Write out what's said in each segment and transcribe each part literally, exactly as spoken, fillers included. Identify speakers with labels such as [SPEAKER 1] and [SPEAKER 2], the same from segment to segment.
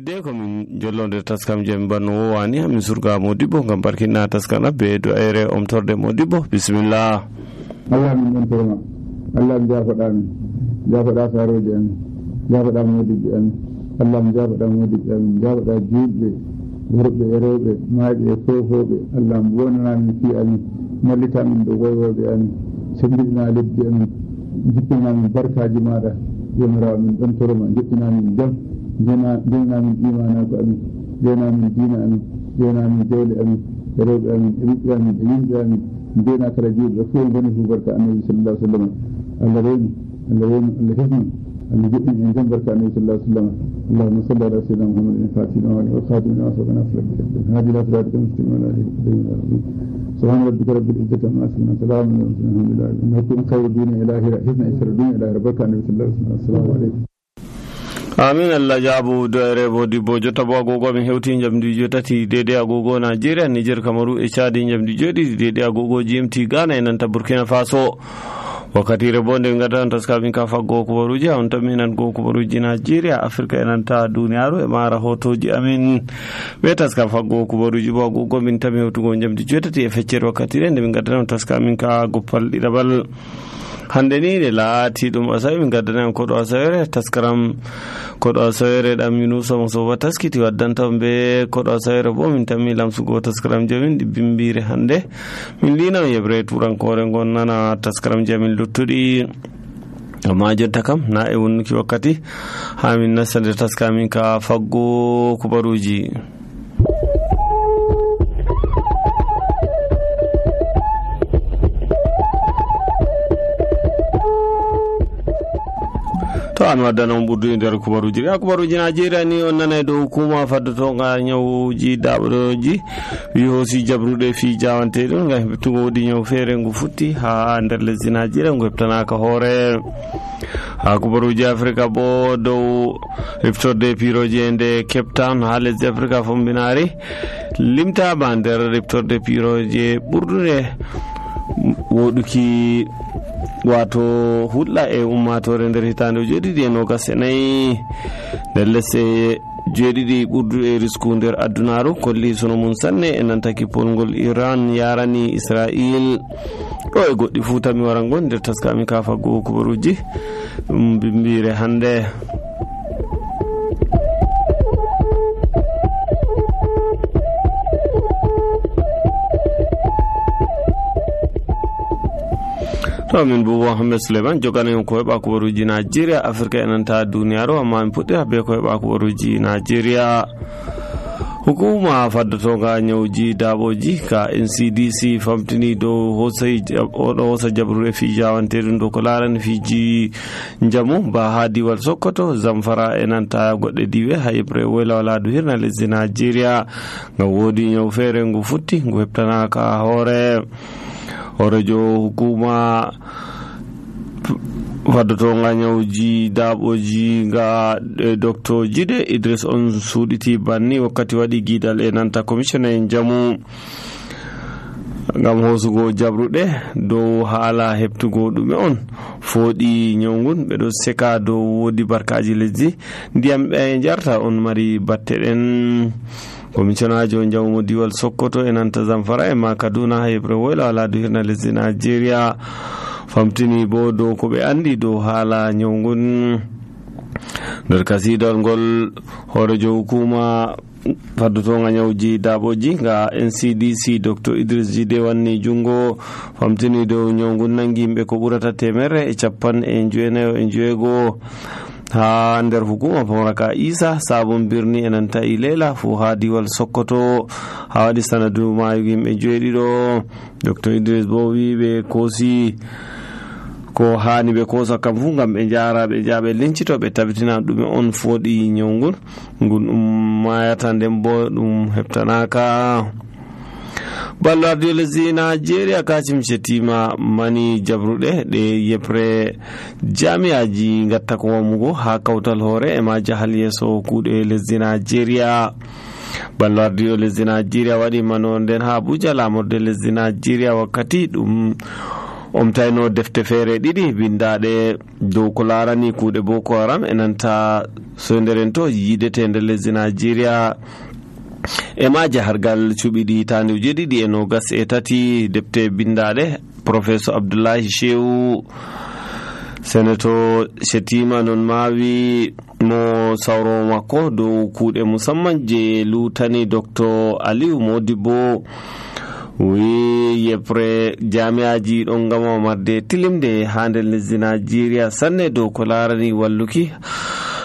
[SPEAKER 1] hidde ko min jollode taskam jami banno wowani hamin surga Modibbo ngam barkinna taskam abbe do ayre omtorde Modibbo. Bismillah.
[SPEAKER 2] Allah min don torma Allah mi jafoɗa min jafoɗa saroje amin jafoɗa Modibbo amin Allah mi jafoɗa Modibbo amin jafoɗa julɓe worɓe e rewɓe maaɓe e fofoɓe Allah mi wonana min fi amin mallita min ɗo woywoɓe amin sembirina lebbi amin jippina min barkaji maɗa jomirawo min ɗon torma jippina min jam jena min imanago amin jena min dina amin jena min jawle amin e rewɓe amin e ɓiɓɓe amin e yimɓe amin jena kala julɓe fof goni fu barka annabi sallallahu alaihi wasallam Allah rewmi Allah rewmi Allah hifni Allah jippin en jam barka annabi sallallahu alaihi wasallam اللهم صل على سيدنا محمد الفاتح والخاتم لما سبق ناصر بالحق هذه لا صراط المستقيم ولا هدي سبحان ربك رب العزة عما يصفون سلام على المرسلين الحمد لله انكم خير الدين الى حسن اشر الدين الى ربك النبي صلى الله عليه وسلم السلام عليكم.
[SPEAKER 1] Amin. Allah jabu doere Modibbo jotta bo agogo min hewti jamdi jotati dede agogo Nigeria Niger Kamaru e Chad jamdi jodi dede agogo G M T Ghana e nanta Burkina Faso wakkati re bonde ngata taska min ka faggo ko baruji on taminan go ko baruji Nigeria Afrika e nanta duniyaru e mara hotoji amin be taska faggo ko baruji bo agogo min tami hewtugo jamdi jotati e feccere wakkati re min ngata taska min ka goppal didabal hande ni de laati dum asay min gaddana ko do asayre taskaram ko do asayre dam Yunusa mo so taskiti waddanta be ko do asayre bo min tammi lamsugo taskaram jamin di bimbire hande min dina yebre turan kore gonnana taskaram jamin luttudi amma jotta kam na e wonnuki wakkati ha min nasande taskamin ka faggo kubaruji. to an waddana on ɓurdude nder kubaruji a kubaruji Nigeria ni on nana dow hukuma faddoto nga ñawuji daɓoji wi hoosi jabruɗe fi jawante ɗum ngam heɓtugo woodi ñaw feere ngu futti ha nder lesdi Nigeria ngu heɓtanaka hoore ha kubaruji Afrika bo dow reftorde piroji e nde Cape Town ha lesdi Afrika fombinari limtama nder reftorde piroji ɓurdude woɗuki wato hulɗa e ummatore nder hitande joɗiɗi e nogas e nayyi nder lesse joɗiɗi ɓurduɗe e risku nder addunaru kolli sono mum sanne e nanta kippolngol Iran yarani Israil ɗo e goɗɗi fuu tami wara gon nder taskami ka faggo kubaruji ɗum bimbire hande. to min bo Mohammed Suleiman jogana yon ko heɓa kubaruji Nigeria Afrika e nanta duniyaru amma min puɗɗira be ko heɓa kubaruji Nigeria. hukuma faddotoga ñawji daɓoji ka N C D C famtini dow hosay oɗo hosa jabruɗe fi jawanteɗum dow ko larani fiji jamu ba ha diwal Sokoto Zamfara e nanta goɗɗe diwe ha yebre woyla waladu hirna lesdi Nigeria ngam woodi ñaw feere ngu futti ngu heɓtanaka hoore horejo hukuma faddoto nga ñawji daɓoji nga docteur Jide Idris on suuɗiti banni wakkati waɗi guidal e nanta commissioner en jamu ngam hosugo jabruɗe dow haala heɓtugo ɗume on fooɗi ñawgun ɓeɗo seka dow woodi barkaji lesdi ndiyam ɓe jarta on mari batte ɗen. commissioner jo jamu diwal Sokoto e nanta Zamfara e ma Kaduna ha yebre woyla waladu hirna lesdi Nigeria famtini bo dow ko ɓe andi dow haala ñawgun nder kasidal ngol horejo hukuma faddotonga ñawji daɓoji nga N C D C docteur Idris Jide wanni jungo famtini dow ñawgun nangi yimɓe ko ɓurata temere e capan e jowenayo e joweego ha nder hukuma Pamaraka Isa sabon birni e nanta Ilela fu ha diwal Sokoto ha waɗi sanadu mayugo yimɓe joweeɗiɗo. docteur Idris bo wi ɓe koosi ko hani ɓe kosa kam fu ngam ɓe jara ɓe jaɓe lincito ɓe tabitina ɗume on fooɗi ñawgun ngun ɗum mayata nden bo ɗum heɓtanaka. ballo ardiyo lesdi Nigeria Kashim Shettima mani jabruɗe ɗe yepre jami'aji gatta ko wamugo ha kawtal hoore e ma jahal yeso kuuɗe lesdi Nigeria. ballo ardiyo lesdi Nigeria waɗi mano nden ha Abuja lamorde lesdi Nigeria wakkati ɗum omtayno defte feere ɗiɗi bindaɗe dow ko larani kuuɗe Boko Haram e nanta soyderen to yidete nder lesdi Nigeria e ma jahargal cuɓiɗi hitande uji ɗiɗi e nogas e tati. defte bindaɗe professeur Abdoulaye Shehu Senator Shetima non mawi mo sawro makko dow kuuɗe musamman je lutani Docteur Aliou Modibo wi yepre jami'aji ɗon gama marde tilimde ha nder lesdi Nigeria sanne dow ko larani walluki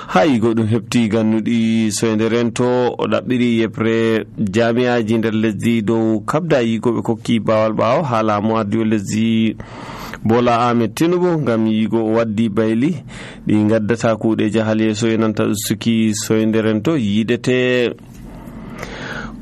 [SPEAKER 1] hay goɗɗum hefti gannuɗi soyderen to o ɗaɓɓiri yepre jami'aji nder lesdi dow kabda yigo ɓe kokki bawal ɓawo ha laamu ardiwo lesdi Bola Ahmed Tinubu ngam yigo o waddi bayli ɗi gaddata kuuɗe jahal yeeso e nanta ustuki soyderen to yidete.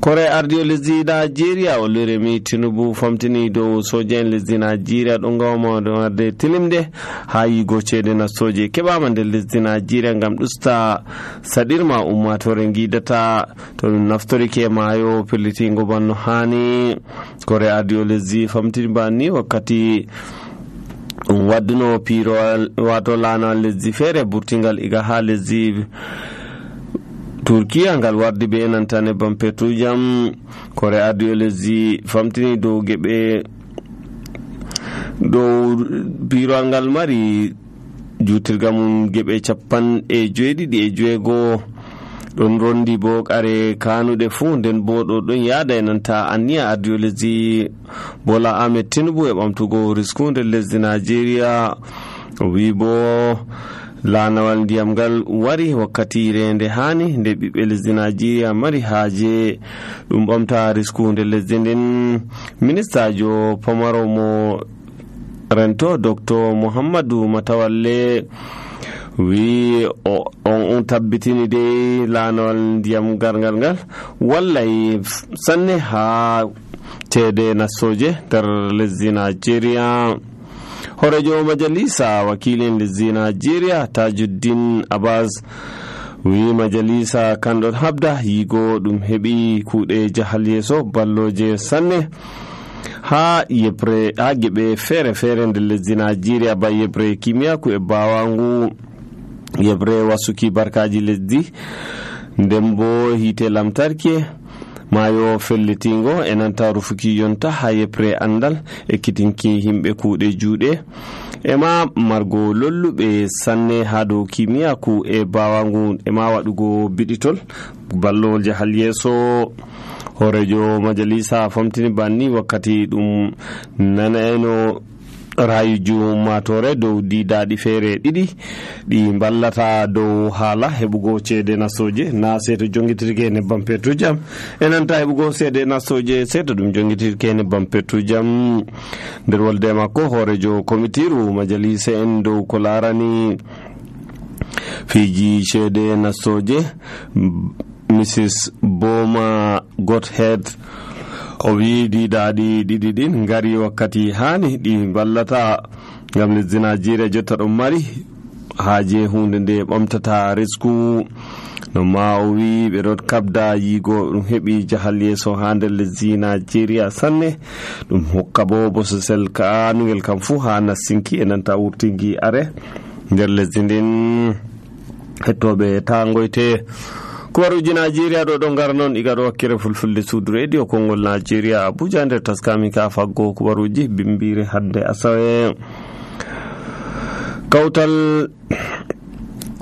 [SPEAKER 1] kore ardiwo lesdi Nigeria o leremi Tinubu famtini dow soja en lesdi Nigeria ɗon gawma marde tilimde ha yigo ceede nastoje keɓama nder lesdi Nigeria ngam ɗusta saɗirma ummatore gidata to ɗum naftorike mayo pellitingo banno hani. kore ardiwo lesdi famtini banni wakkati ɗum wadduno pirowal wato lanawal lesdi feere burtingal iga ha lesdi Turkiya ngal wardi be nanta nebbam petrujam. kore ardiwo lesdi famtini dow geɓe dow pirowal ngal mari jutirga mum geɓe capan e joeɗiɗi e joeego ɗon rondi bo kare kanuɗe fuu nden bo ɗo ɗon yaada e nanta anniya ardiwo lesdi Bola Ahmed Tinubu e ɓamtugo risku nder lesdi Nigeria. o wi bo lanawal ndiyam ngal wari wakkati rende hani nde ɓiɓɓe lesdi Nigeria mari haaje ɗum ɓamta risku nder lesdi nden. ministajo pamaro mo rento Docteur Muhammadu Matawalle wi on tabbitini de lanawal ndiyam gargal ngal wallay sanne ha ceede nastoje nder lesdi Nigeria. horejo majalisa wakilin lesdi Nigeria Tajuddin Abbas wi majalisa kanɗon habda yigo ɗum heɓi kuuɗe jahal yeeso balloje sanne ha yepre ha geɓe feere feere nder lesdi Nigeria ba yebre kimiyaku e bawangu yebre wasuki barkaji lesdi nden bo hite lamtarki mayo fellitingo e nanta rufuki yonta ha yepre andal ekkitinki himɓe kuuɗe juuɗe e ma margo lolluɓe sanne ha dow kimiyaku e bawangu e ma waɗugo biɗitol ballowol jahal yeeso. horejo majalisa famtini banni wakkati ɗum nanayno rayuju ummatore dow didaɗi feere ɗiɗi ɗi ballata dow haala heɓugo ceede nastoje na seeto jongitirke nebbam petrujam e nanta heɓugo ceede nastoje seeto ɗum jongitirke nebbam petrujam. nder wolde makko horejo komitiru majalisa en dow ko larani fiji ceede nastoje Mrs Boma Godhead o wi didaɗi ɗiɗi ɗin ngari wakkati hani ɗi ballata ngam lesdi Nigeria jotta ɗon mari haaje hunde nde ɓamtata risku. no ma o wi ɓe ɗon kabda yigo ɗum heɓi jahal yeeso ha nder lesdi Nigeria sanne ɗum hokka bo bososel kanugel kam fuu ha nassinki e nanta wurtinki are nder lesdi ndin. hettoɓe tangoyte kubaruji Nigeria ɗo ɗon gara noon iga ɗo wakkere fulfulde suudu radio Konngol Nigeria Abuja nder taskami ka faggo kubaruji bimbire hande asawe. kawtal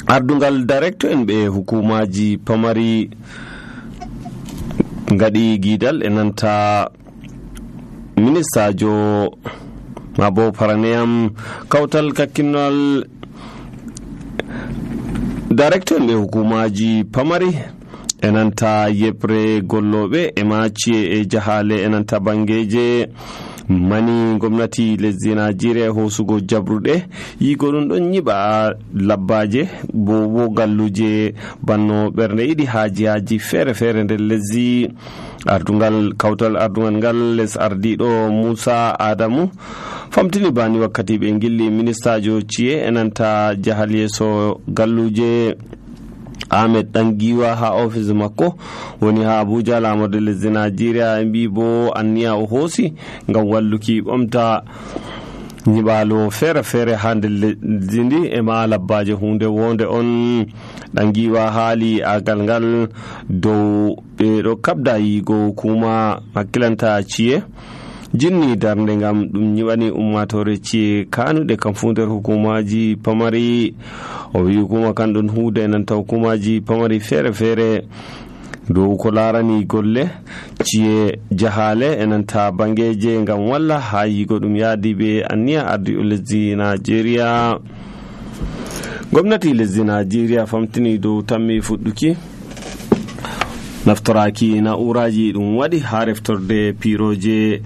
[SPEAKER 1] ardungal director en ɓe hukumaji pamari ngaɗi gidal e nanta ministajo mabo paraneyam kawtal kakkinol director en ɓe hukumaji pamari e nanta yebre golloɓe e maciye e jahale e nanta bangeje mani gomnati lesdi Nigeria hosugo jabruɗe yigo ɗum ɗon nyiɓa labbaje bo bo galluje banno ɓernde yiɗi haaji haaji feere feere nder lesdi. ardungal kawtal ardungal ngal les ardiɗo Musa Adamu famtini bani wakkati ɓe gilli ministajo ciye e nanta jahal yeeso galluje Ahmed Dangiwa ha office makko woni ha Abuja lamorde lesdi Nigeria e mbi bo anniya o hoosi ngam walluki ɓamta nyiɓalo feere feere ha nder lesdi ndi e ma labbaje hunde wonde on ɗan giwa haali agal ngal dow ɓe ɗo kabda yigo kuma hakkilanta ci'e jinni darnde ngam ɗum nyiɓani ummatore ci'e kanuɗe kam fu nder hukumaji pamari. O wi hukuma kan ɗon huuda nanta hukumaji pamari feere feere dow ko larani golle ci'e jahale enanta bangeje ngam walla ha yigo ɗum yaadi be anniya ardi o lesdi Nigeria. Gwamnati lesdi Nigeria famtini dow tammi fuɗɗuki naftoraki na'uraji ɗum waɗi ha reftorde piroje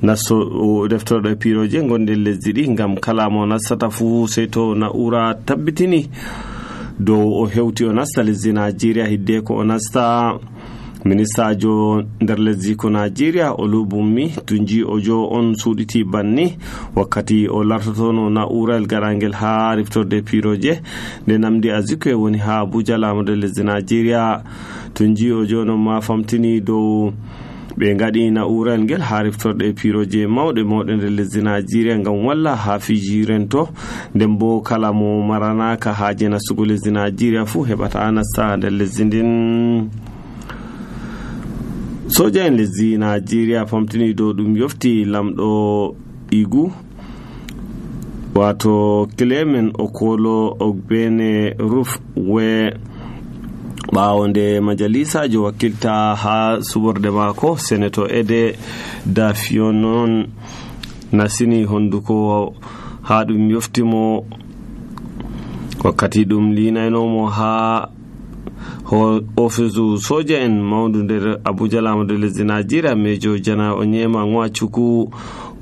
[SPEAKER 1] nasto reftorde piroje gonde lesdi ɗi ngam kala mo nastata fu sey to na'ura tabbitini dow o hewti o nasta lesdi Nigeria hidde ko o nasta. Ministajo nder lesdi ko Nigeria Olubunmi Tunji Ojo on suɗiti banni wakkati o lartotono na'ural garangel ha reftorde piroje nde namdi Azikiwe woni ha Abuja lamude lesdi Nigeria. Tunji Ojo non ma famtini dow ɓe ngaɗi na'ural ngel ha reftorde piroje mawɗe mawɗe nder lesdi Nigeria ngam walla ha fiji rento nden bo kala mo maranaka haje nastugo lesdi Nigeria fu heɓata nasta nder lesdi ndin. Soja en lesdi Nigeria famtini dow ɗum yofti lamɗo Igu wato Clement Okolo Ogbene Ruf we ɓawo nde majalisajo wakkilta ha suborde mako Senator Ede Dafionon nasini honduko ha ɗum yoftimo wakkati ɗum linaynomo ha ofisu soja en mawdu nder Abuja lamude lesdi Nigeria. Mejo Jana Onyema Nwachuku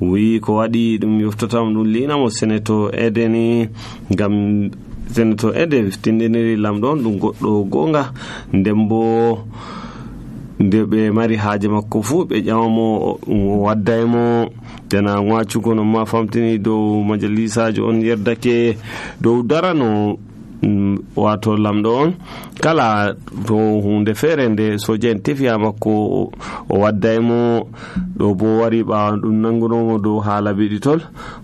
[SPEAKER 1] wi ko waɗi ɗum yoftotamo ɗum linamo Senator Ede ni ngam Senator Ede tindiniri lamɗo on ɗum goɗɗo gonga nden bo nde ɓe mari haaje makko fu ɓe ƴamamo waddaymo. Jana Nwachuku non ma famtini dow majalisajo on yerdake dow darano wato lamɗo on kala to hunde feere nde soja en tefiya makko o waddaymo. ɗo bo wari ɓawa ɗum nangunomo dow haala biɗitol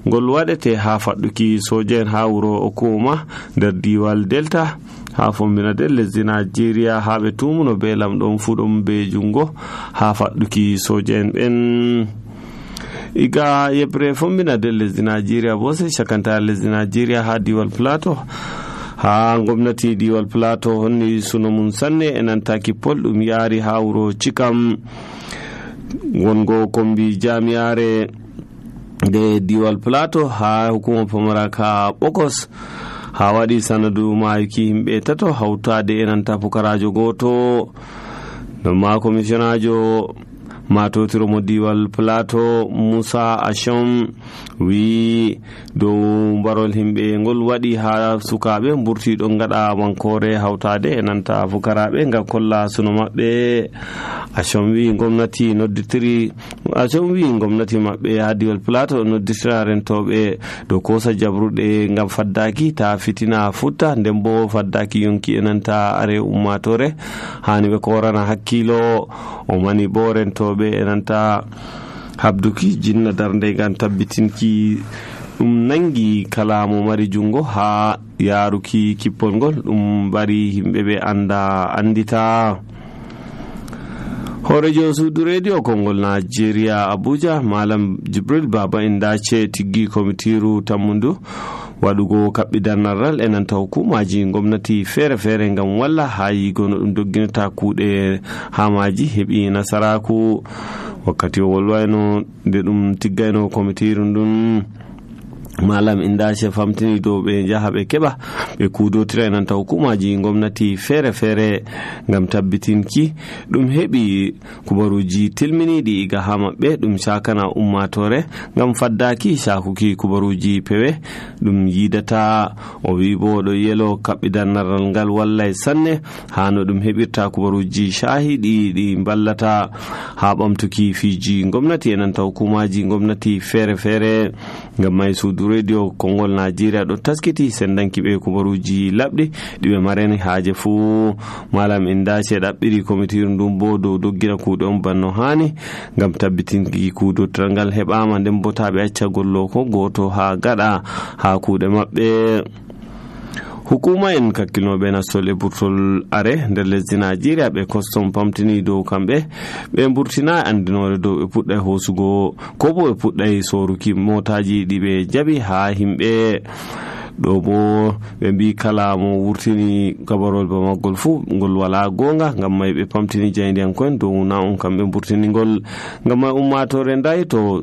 [SPEAKER 1] ngol waɗete ha faɗɗuki soja en ha wuro Okuma nder diwal Delta ha fombina del lesdi Nigeria ha ɓe tumuno be lamɗo on fu ɗum be jungo ha faɗɗuki soja en ɓen. Iga yebre fombina del lesdi Nigeria bo se shakanta lesdi Nigeria ha diwal Plateau ha gwamnati diwal Plateau honni suno mun sanne enanta kippol ɗum yaari ha wuro Cikam wongo kombi jamiare de diwal Plateau ha hukuma pamara ka Bokos ha waɗi sanadu mayuki himɓe tato hawtade enanta pukarajo goto no ma commissionajo matotiro mo diwal Plateau Musa Asham wi dow mbarol himɓe ngol waɗi ha sukaɓe mburti ɗon gaɗa wankore hawtade e nanta fukaraɓe ngam kolla suno maɓɓe. Asham wi gomnati nodditiri Asham wi gomnati maɓɓe ha diwal Plateau nodditira rentoɓe dow kosa jabruɗe ngam faddaki ta fitina futta nden bo faddaki yonki e nanta are ummatore hani ɓe korana hakkilo o mani bo rentoɓe e nanta habduki jinna darnde ngam tabbitinki ɗum nangi kala mo mari jungo ha yaruki kippol ngol ɗum bari himɓe ɓe anda andita. Horejo suudu radio Kongol Nigeria Abuja Malam Jibril Baba Indace tiggi komitiru tammundu waɗugo kaɓɓidarnaral e nanta hukumaji gomnati feere feere ngam walla ha yigo no ɗum dogginata kuuɗe ha maji heɓi nasaraku wakkati o wolwayno nde ɗum tiggayno komitiru ndun. Malam Indace famtini dow ɓe jaha ɓe keɓa ɓe kudotira e nanta hukumaji gomnati feere feere ngam tabbitinki ɗum heɓi kubaruji tilminiɗi iga ha maɓɓe ɗum sakana ummatore ngam faddaki sakuki kubaruji pewe ɗum yidata. O wi bo ɗo yelo kaɓɓidarnaral ngal wallay sanne ha no ɗum heɓirta kubaruji shahiɗi ɗi ballata ha ɓamtuki fiji gomnati e nanta hukumaji gomnati feere feere ngam may suudu radio Kongol Nigeria ɗo taskiti sendanki ɓe kubaruji labɗi ɗiɓe marani haaje fuu. Malam Indace ɗaɓɓiri komitiru ndun bo dow doggira kuuɗe on banno hani ngam tabbitinki kuudotoral ngal heɓama, nden bo taɓe acca gollo ko goto ha gaɗa ha kuuɗe maɓɓe. Hukuma en kakkilnoɓe nastol e burtol are nder lesdi Nigeria ɓe custom pamtini dow kamɓe ɓe burtina andinore dow ɓe puɗɗay hosugo ko bo ɓe puɗɗay soruki motaji ɗi ɓe jaɓi ha himɓe. ɗo bo ɓe mbi kala mo wurtini gabarol ba maggol fu ngol wala gonga, ngam may ɓe pamtini jayndiyankoen dow na on kamɓe burtinigol. Ngam may ummatore ndayi to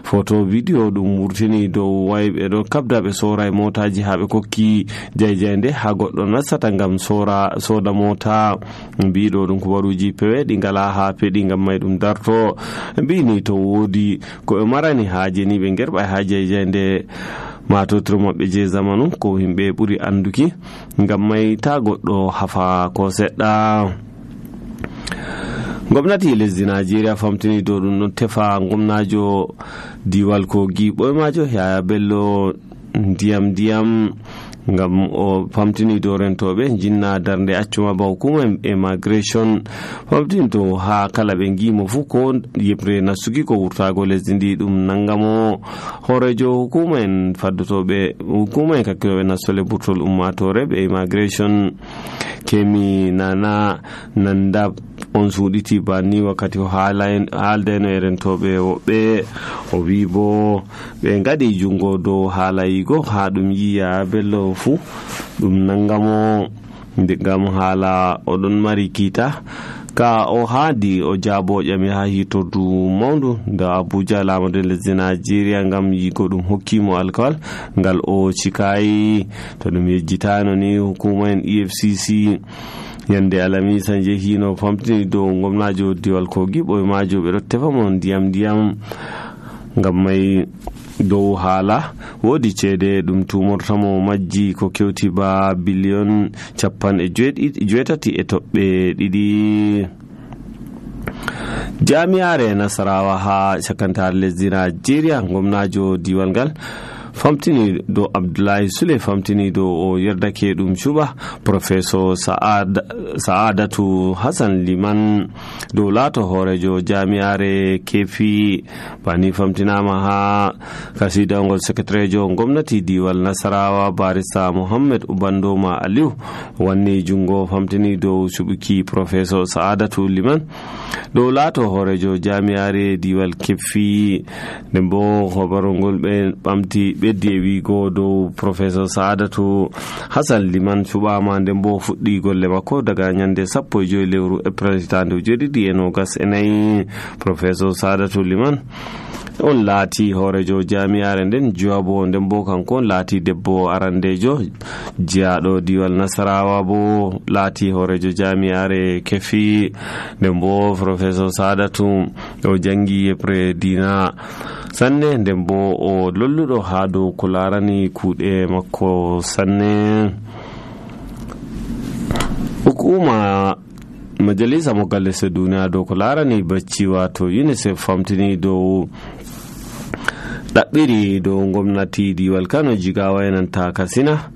[SPEAKER 1] photo vidéo ɗum wurtini dow way ɓe ɗo kabda ɓe sora motaji ha ɓe kokki jayjayde ha goɗɗo nassata ngam sora soda mota. Mbiɗo ɗum kubaruji pewe ɗi ngala ha peɗi, ngam may ɗum darto. Mbini to wodi ko ɓe marani haaje ni ɓe gerɓa ha jayjayde matotiro maɓɓe je zamanu ko himɓe ɓuri anduki, ngam may ta goɗɗo hafa ko seɗɗa. Gwamnati lesdi Nigeria famtini dow ɗum ɗon tefa gwamnajo diwal Kogi ɓoymajo Yaya Bello ndiyam ndiyam ngam o famtini dow rentoɓe jinna darnde accuma ba hukuma immigration famtini to ha kala ɓe ngimo fu ko yebre nasugi ko wurtago lesdi ndi ɗum nangamo. Horejo hukuma en faddotoɓe hukuma en kakkiloɓe nastole burtol ummatore ɓe immigration Kemi Nana Nanda on suuɗiti banni wakkati o haaldeno e rentoɓe woɓɓe. O wi bo ɓe ngaɗi jungo dow haalayigo ha ɗum yiya Bello fu ɗum nangamo, ngam haala oɗon mari kiita ka o haadi o jaabo ƴami ha hitordu mawndu da Abuja lamade lesdi Nigeria ngam yigo ɗum hokkimo alkawal ngal o cikayi. To ɗum yejjitano ni hukuma en E F C C yande alamisa jehino famtini dow gwamnajo diwal Kogi ɓoymajo ɓe ɗo tefa mo ndiyam ndiyam, ngam may dow haala wodi ceede ɗum tumortamo majji ko kewti ba biliyon capan e joetati e toɓɓe ɗiɗi. Jami'are Nasarawa ha cakantare lesdi Nigeria gwamnajo diwal ngal famtini do Abdullahi Sule famtini do o yerdake ɗum cuɓa professeur Saad, Saadatu Hassan Liman do laato horejo jami'are kefi bani famtinama ha kasidangol secretarejo gwamnati diwal Nasarawa barista Muhammad Ubandoma Aliu wanni jungo famtini do suɓuki professeur Saadatu Liman do laato horejo jami'are diwal kefi. nden bo hobarongol ɓe ɓamti ɓeddi e wigo dow professeur Saadatu Hassan Liman cuɓama, nden bo fuɗɗi golle makko daga nyande sappo e joyi lewru April hitande ujiɗiɗi e nogas e nayi. Professeur Saadatu Liman on laati horejo jami'are nden jawabo, nden bo kanko laati debbo arandejo jiyaɗo diwal Nasarawa bo laati horejo jami'are kefi. nden bo professeur Saadatu o jangi yepre dina sanne, nden bo o lolluɗo ha dow ko larani kuuɗe makko sanne. Hukuma majalisa mo gallese duniya dow ko larani bacci wato UNICEF famtini dow ɗaɓɓiri dow gwamnati diwal Kano Jigawa enanta Katsina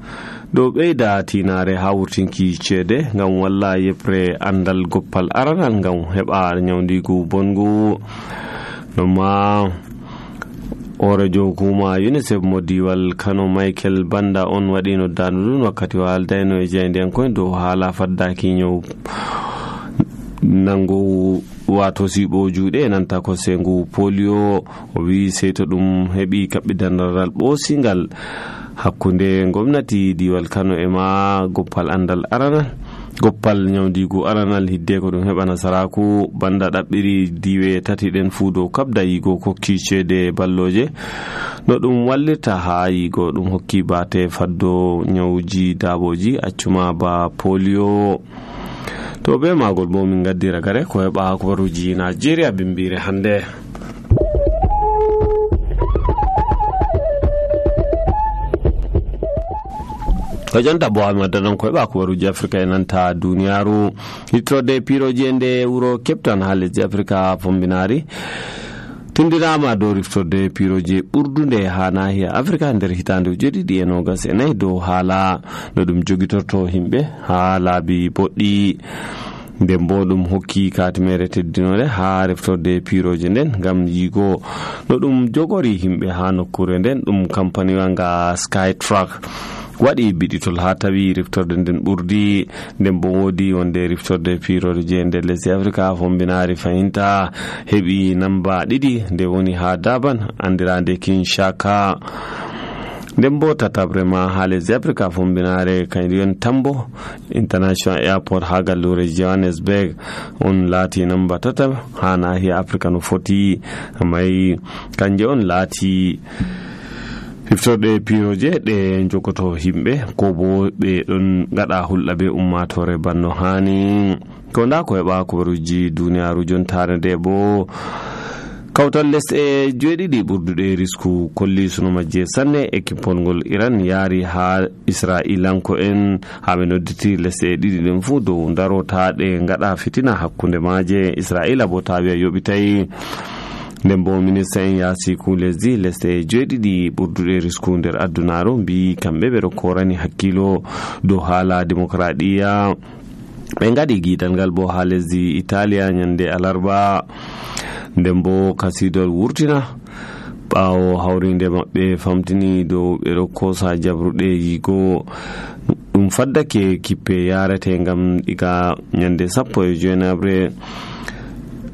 [SPEAKER 1] dow ɓeyda tinare ha wurtinki ceede ngam walla yepre andal goppal aranal ngam heɓa nyawdigu bongu. noma horejo hukuma UNICEF mo diwal Kano Michael Banda on waɗi noddanu ɗum wakkati o haaldayno e jayndiyankoen dow haala faddaki nyaw nango wato siɓo juuɗe nanta ko sengu polio. O wi sey to ɗum heɓi kaɓɓidandaral ɓoosingal hakkunde gwamnati diwal Kano e ma goppal andal aranal goppal nyawdigu aranal hidde ko ɗum heɓa nasaraku. Banda ɗaɓɓiri diwe tati ɗen fuu dow kabda yigo kokki ceede balloje no ɗum wallita ha yigo ɗum hokki bate faddo nyawji daaboji accuma ba polio. to be magol bo min gaddira gare ko heɓa kubaruji Nigeria bimbire hande. ko jonta bo amadanan ko heɓa kubaruji Afrika e nanta duniyaru. hitrode piroji nde wuro Cape Town ha lesdi Afrika fombinari tindirama dow riftorde piroje ɓurdude ha nahiya africa nder hitande ujeɗiɗi e nogas e nayyi dow haala no ɗum jogitorto himɓe ha laabi boɗɗi. nden bo ɗum hokki katimere teddinore ha reftorde piroje nden gam yigo no ɗum jogori himɓe ha nokkure nden. ɗum kampaniwa nga Skytrack waɗi biɗitol ha tawi riftorde nden ɓurdi. nden bo woodi wonde riftorde piroje je nder lesdi africa fombinari fahinta heɓi namba ɗiɗi nde woni ha Durban andirande Kinshasa. nden bo tatabre ma ha lesdi africa fombinare kañum Tambo International Airport ha gallure Johannesburg on laati namba tata ha nahiya africa no foti mai kanje on laati hiftorde piroje ɗe jogoto himɓe ko bo ɓe ɗon gaɗa hulɗa be ummatore banno hani. ko nda ko heɓa kubaruji duniyaru jontare nde bo kawtal lesɗe joweeɗiɗi ɓurduɗe risku kolli suno majje sanne ekippol ngol Iran yaari ha Israilanko en ha ɓe nodditi lesɗe ɗiɗi ɗen fuu dow darotaɗe gaɗa fitina hakkunde maje. Israila bo tawi a yoɓitay. nden bo minista en yasiku lesdi lesɗe joweeɗiɗi ɓurduɗe risku nder addunaru mbi kamɓe ɓeɗo korani hakkilo dow haala démocraɗiya. ɓe gaɗi giɗal ngal bo ha lesdi Italia nyande alarba. nden bo kasidol wurtina ɓawo hawrinde maɓɓe famtini dow ɓeɗo kosa jabruɗe yigo ɗum faddake kippe yarete gam ɗiga nyande sappo e joynabre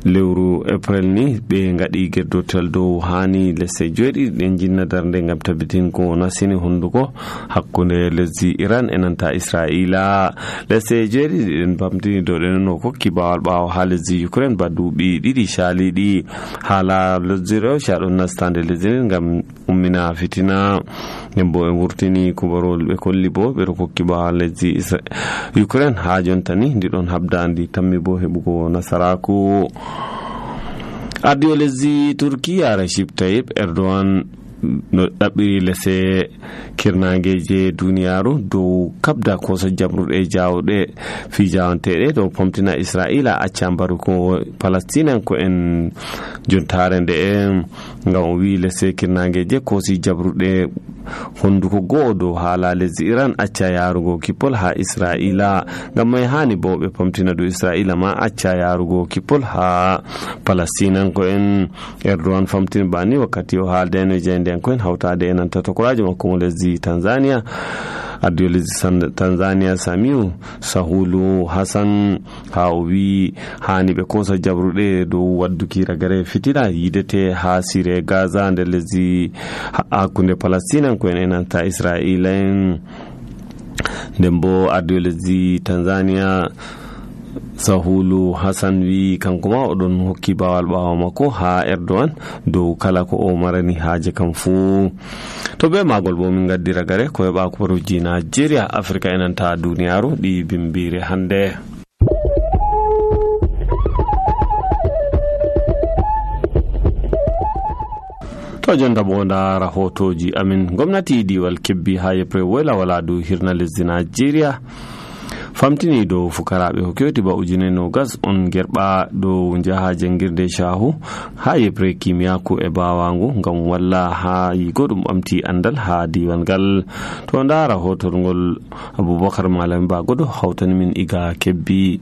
[SPEAKER 1] lewru april ni ɓe gaɗi gerdotal dow hani lesɗe joweeɗiɗi ɗen jinna darde gam tabbitin ko nasini hunduko hakkunde lesdi Iran e nanta Israila. lesɗe joweeɗiɗi ɗen bamtini dow ɗen no kokki bawal ɓawo ha lesdi Ukraine ba duuɓi ɗiɗi caliɗi. haala lesdi Russia ɗon nastande lesdi nden gam ummina fitina. nden bo en wurtini kubarol ɓe kolli bo ɓeɗo kokki bawal lesdi Ukraine ha jontani ndi ɗon habda ndi tammi bo heɓugo nasaraku. ardiwo lesdi Turkiya Recep Tayyip Erdogan no ɗaɓɓiri lese kirnageje duniyaru dow kabda kosa jamruɗe jawɗe fijawanteɗe dow pomtina Israila acca mbaruko Palestine ko en jontare nde en ngam o wi lese kirnageje kosi jabruɗe honduko go'o dow haala lesdi Iran acca yarugo kippol ha Israila. ngam mai hani bo ɓe pomtina dow Israila ma acca yarugo kippol ha Palestine ko en. Erdogan famtini bani wakkati o haaldeno jeyde ko en hawtade e nanta tokorajo makko mo lesdi Tanzania. ardiwo lesdi Tanzania Samiu Sahulu Hassan ha o wi hani ɓe kosa jabruɗe dow wadduki ragare fitina yidete ha sire Gaza nder lesdi hakkunde Palestine ko en e nanta Israila en. nden bo ardiwo lesdi Tanzania Sahulu Hassan wi kanko ma oɗon hokki bawal ɓawo makko ha Erdogan dow kala ko o marani haaje kam fuu. to be magol bo min gaddi ragare ko heɓa kubaruji Nigeria Africa e nanta duniyaru ɗi bimbire hande. to jonta bo nda rahotoji amin. gomnati diwal Kebbi ha yebre woyla wala dow hirna lesdi Nigeria famtini dow fukaraɓe hokkewti ba ujune no gas on gerɓa dow jaha jangirde shahu ha yebre kimiyaku e bawangu ngam walla ha yigo ɗum ɓamti andal ha diwan ngal. to nda rahotol ngol Abubakar Malami Bagodo hawtani min iga Kebbi.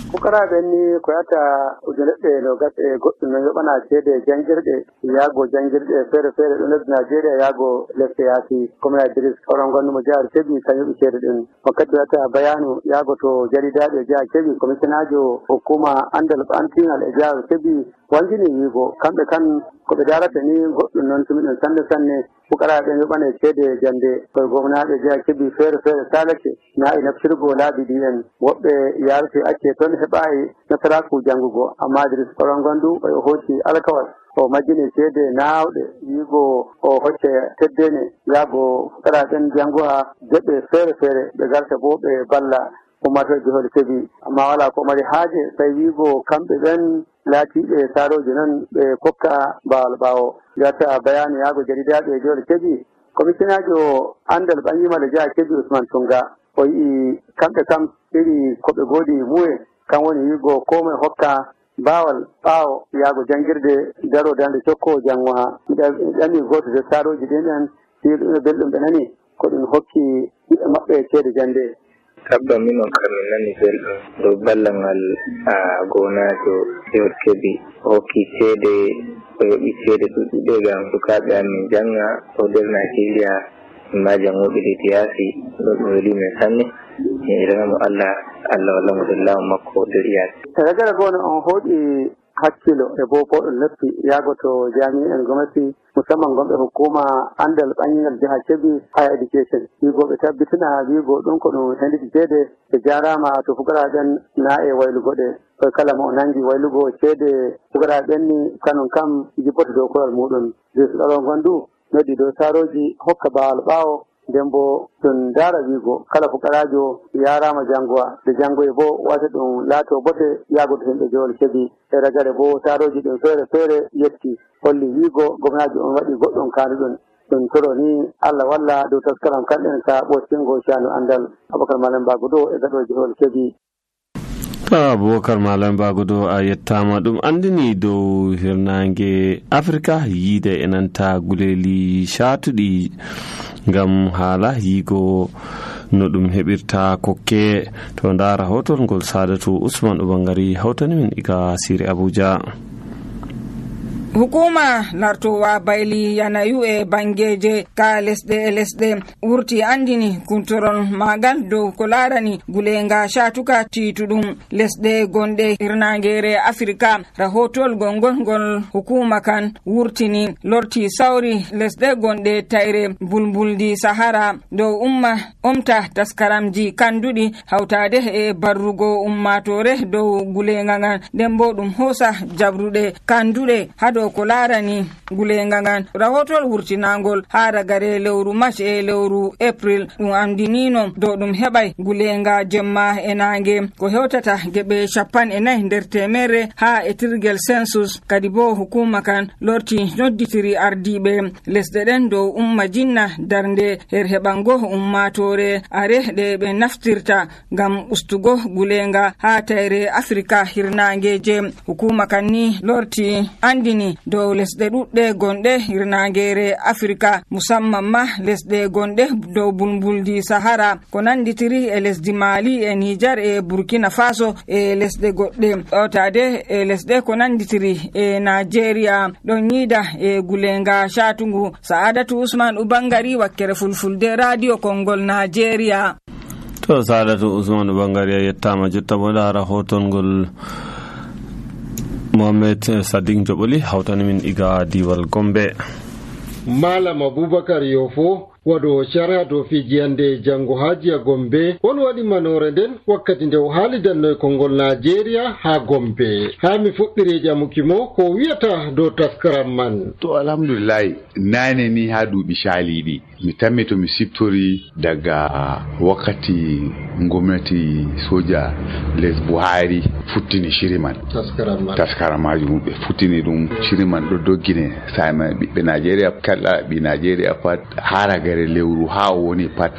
[SPEAKER 3] fukaraɓe ni ko yata ujunere no gas e goɗɗum no yoɓana ceede jangirɗe yaago jangirɗe feere feere ɗo lesdi Nigeria yaago lesɗe yaasi comme Idris oɗon gonnumo jihar Kebbi kan yoɓi ceede ɗin. wakkati wiyata bayanu yaago to jaridaɓe jihar Kebbi commissionajo hukuma andal ɓantingal e jihar Kebbi wangini wiigo kamɓe kan ko ɓe darata ni goɗɗum noon tumi ɗum sanne sanne fukaraɓe yoɓane ceede jande koye gomnaɓe jihar Kebbi feere feere salake na e naftirgo laabi ɗi en woɓɓe yarate acce toon heɓayi nasaraku jangugo amma Idris oɗon gondu o hocci alkawal o majjini ceede naawɗe wiigo o hocce teddene yaago fukaraɓen janguha joɓɓe feere feere ɓe garta bo ɓe balla ummatoɓe jihol Kebbi amma wala ko mari haaje tawi wiigo kamɓe ɓen laatiɓe saroji noon ɓe kokka bawal ɓawo. wiyata bayanu yaago jaridaɓe jihol Kebbi commissionajo andal ɓangimal jihar Kebbi Usman Tunga o yii kamɓe kam iri koɓe goodi muye kan woni wiigo ko moe hokka baawal ɓaawo yaago janngirde daro dande cokko janngo ha ɗami gooto de saaroji ɗin en ɗiɗo belɗum ɓe nani ko ɗum hokki ɓiɓɓe maɓɓe ceede jannde.
[SPEAKER 4] Tabba minon kam min nani belɗum dow ballal gonajo Jehol Kebbi hokki ceede o yoɓi ceede ɗuɗɗuɗe ngam sukaaɓe amin janga o nder Nigeria ma jangoɓe ɗi yaasi ɗo ɗum weli men sanne mi iranamo Allah Allah walla mo ɗon laamu makko nder yaasi.
[SPEAKER 3] Ragara gono on hooɗi hakkilo e bo boɗɗum leppi yaago to jami'en gomnati musamman gonɓe hukuma andal ɓangingal jiha Kebbi higher education wigo ɓe tabbitina wigo ɗum ko ɗum henditi ceede ɓe jarama to fugaraɓen na e waylugo ɗe koye kala mo o nangi waylugo ceede fugaraɓen ni kanon kam jippota dow koyal muɗum jesuɗaɗo gondu noddi dow saroji hokka bawal ɓaawo nden bo ɗum daara wiigo kala fukarajo yarama jangowa nde jangoye bo wata ɗum laato bote yaagoto himɓe Jehol Kebbi e ragare bo saroji ɗum feere feere yetti holli wiigo gomnajo on waɗi goɗɗum kaanduɗon ɗum toro ni Allah walla dow taskaram kamɓen ka ɓoccingo caanu andal Aboubacar Malam Bagodo e gaɗo Jehol Kebbi.
[SPEAKER 1] Aboubacar Malam Bagodo a yettama. ɗum andini dow hirnange Africa yiide enanta guleli shatuɗi ngam haala yigo no ɗum heɓirta kokke to ndara hotol ngol Sadatu Usman Ubangari hawtani min iga Siri Abuja.
[SPEAKER 5] hukuma lartowa bayli yanayu e bangeje ka lesɗe e lesɗe wurti andini kuntorol magal dow ko larani gulenga shatuka tituɗum lesɗe gonɗe hirnagere Afrika. rahotol gongol ngol hukuma kan wurtini lorti sawri lesɗe gonɗe tayre bulbuldi Sahara dow umma omta taskaramji kanduɗi hawtade e barrugo ummatore dow gulenga ngan nden bo ɗum hosa jabruɗe kanduɗe hado ko larani gulenga ngan. rahotol wurtinangol ha ragare lewru March e lewru April ɗum andinino dow ɗum heɓay gulenga jemma e nange ko hewtata geɓe capan e nayi nder temere ha e tirgel census. kadi bo hukuma kan lorti nodditiri ardiɓe lesɗe ɗen dow umma jinna darnde her heɓango ummatore are ɗe ɓe naftirta ngam ustugo gulenga ha tayre Afrika hirnangeje. hukuma kan ni lorti andini dow lesɗe ɗuɗɗe gonɗe hirnangere Afrika musamman ma lesɗe gonɗe dow bulbuldi Sahara ko nanditiri e lesdi Mali e Niger e Burkina Faso e lesɗe goɗɗe ɗotade e lesɗe ko nanditiri e Nigeria ɗon yiida e gulenga shatungu. Sa'adatu Usman Ubangari wakkere fulfulde radio Kongol Nigeria.
[SPEAKER 1] to Sa'adatu Usman Ubangari a yettama. jotta bo lara hotongol Mohamed Sadiq Joboli hawtani min iga diwal Gombe.
[SPEAKER 6] Malam Aboubacar Yofo wado sharha do fijiyande jango hajiya Gombe on wadi manore den wakkati nde o haalidanno e Kongol Nigeria ha Gombe. ha mi fuɗɗiri jamukimo ko wiyata do taskaram man.
[SPEAKER 7] To alhamdulillah nane ni ha duuɓi shaliɗi mi tammi to mi siftori daga wakkati gwamnati soja les Buhari futtini shiri man taskaram man taskaram majum ɓe futtini ɗum shiri man ɗo doggine sama ɓiɓɓe Nigeria kala ɓi Nigeria pat hara gare lewru ha woni pat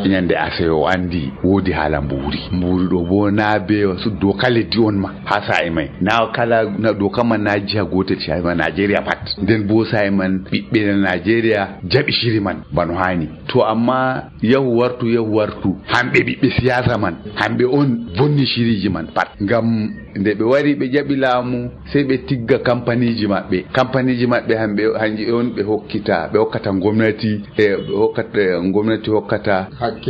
[SPEAKER 7] nyande aseyo andi wodi hala mburi mburi ɗo bo na be wasu doka leddi on ma ha sa'i mai na kala na doka man na jiha gotel shi ma Nigeria pat nden bo sa'i man ɓiɓɓe Nigeria jaɓi shiri man bano hani to amma yahu wartu yahu wartu hamɓe ɓiɓɓe siyasa man hamɓe on vonni shiriji man pat ngam nde ɓe wari ɓe jaɓi laamu sai ɓe tigga kampaniji maɓɓe kampaniji maɓɓe hamɓe hanji on ɓe hokkita ɓe hokkata gwamnati e ɓe hokkata gwamnati hokkata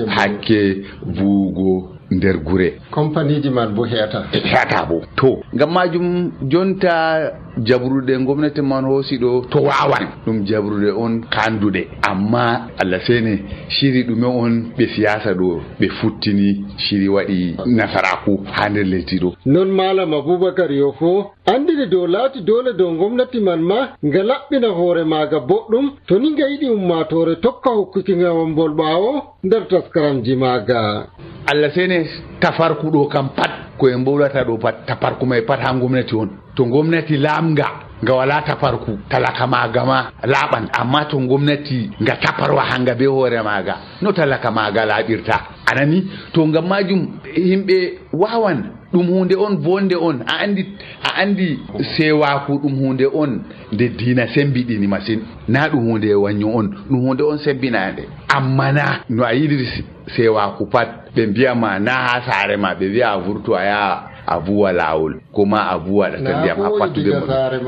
[SPEAKER 7] hakke buugo nder gure
[SPEAKER 6] kampaniji man bo heata
[SPEAKER 7] heata bo to ngam majum jonta jabrude gwamnati man hosi ɗo to wawan ɗum jabrude on kandude amma Allah sene shiri ɗume on ɓe siyasa ɗo ɓe futtini shiri waɗi nasaraku ha nder lesdi ɗo.
[SPEAKER 6] non Malam Aboubacar Yofo andini dow laati dole dow gwamnati man ma nga laɓɓina hoore maaga boɗɗum to ni nga yiɗi ummatore tokka hokkuki ngawambol ɓaawo nder taskaramji maaga.
[SPEAKER 7] Allah sene tafarku ɗo kam pat ko en mbowlata ɗo pat tafarku mai pat ha gwamnati on to gwamnati lamga nga wala tafarku talaka maga ma laɓan amma to gwamnati nga taparwa hanga be hoore maga no talaka maga laɓirta anani to ngam majum himɓe wawan ɗum hunde on bonde on a andi a andi sewaku ɗum hunde on nde diina sembiɗini masin na ɗum hunde wanyo on ɗum hunde on sebbinande amma na no a yiɗiri sewaku pat ɓe mbiyama na ha saare ma ɓe wiya a vurto a yaha a buwa lawol kuma a buwa da ndiyam ha fattude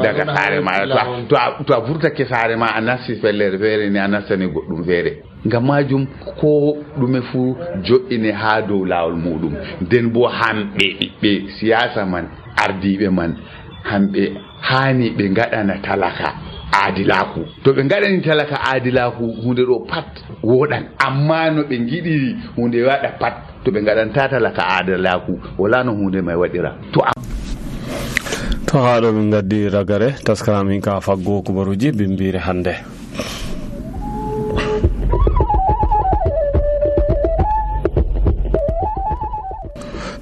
[SPEAKER 7] daga saare ma to to a vurtake saare ma a nasti fellere feere ni a nastani goɗɗum feere ngam majum ko ɗume fu jo'ine ha dow lawol muɗum nden bo hamɓe ɓiɓɓe siyasa man ardiɓe man hamɓe hani ɓe ngaɗana talaka aadilaku to ɓe ngaɗani talaka aadilaku hunde ɗo pat woɗan amma no ɓe giɗiri hunde waɗa pat to ɓe ngaɗanta talaka aadilaku wala no hunde may waɗira to
[SPEAKER 1] to haɗo min gaddi ragare taskara min ka faggo kubaruji bimbire hande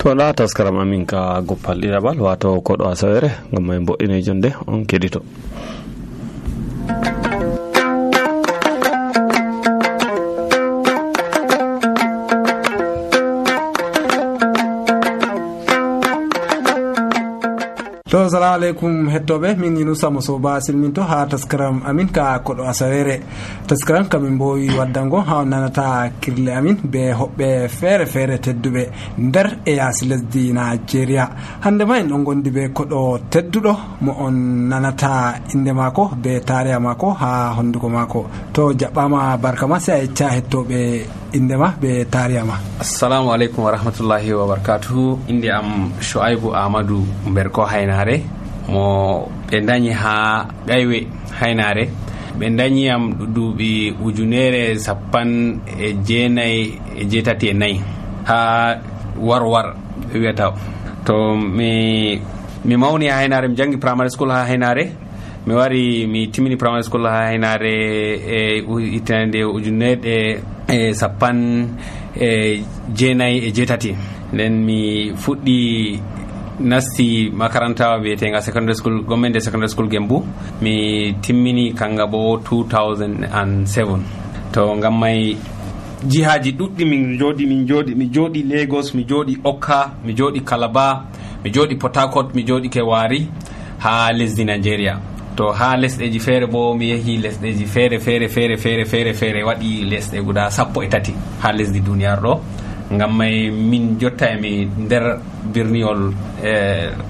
[SPEAKER 1] to la taskaram amin ka goppal ɗiɗaɓal wato koɗo asawere ngam may mboɗɗine jonde on keɗito.
[SPEAKER 8] to salamu aleykum hettoɓe min Yunusa Mosoba silminto ha taskaram amin ka koɗo asawere taskaram kamin mbowi waddango ha nanata kirle amin be hoɓɓe feere feere tedduɓe nder e yaasi lesdi Nigeria. hande ma en ɗon gondi be koɗo tedduɗo mo on nanata inde mako be tariha mako ha honduko mako. to jaɓɓama barka ma sai a yecca hettoɓe inde ma be tariha ma.
[SPEAKER 9] assalamu aleykum wa rahmatullahi wa barakatuhu. inde am Shu'aibu Ahmadu Berko Haynare mo ɓe dañi ha Gaywe Haynare. ɓe dañi am duuɓi ujunere sappan e jeenayi e jeetati e nayyi ha warwar ɓe wiyata. to mi mi mawni ha Haynare, mi jangi primary school ha Haynare, mi wari mi timmini primary school ha Haynare e hitande ujunere e sappan e jeenayi e jeetati. nden mi fuɗɗi nasti makaranta wiyetenga secondary school gomende secondary school Gembu. mi timmini kanga bo two thousand seven. to ngam may jihaji ɗuɗɗi min jooɗi min jooɗi mi jooɗi Lagos, mi jooɗi Okka, mi jooɗi Calabar, mi jooɗi Port Harcourt, mi jooɗi ke Wari ha lesdi Nigeria. to ha lesɗeji feere bo mi yehi lesɗeji feere feere feere feere feere feere waɗi lesɗe guda sappo e tati ha lesdi duniyar ɗo. ngam may min jotta e mi nder birniwol e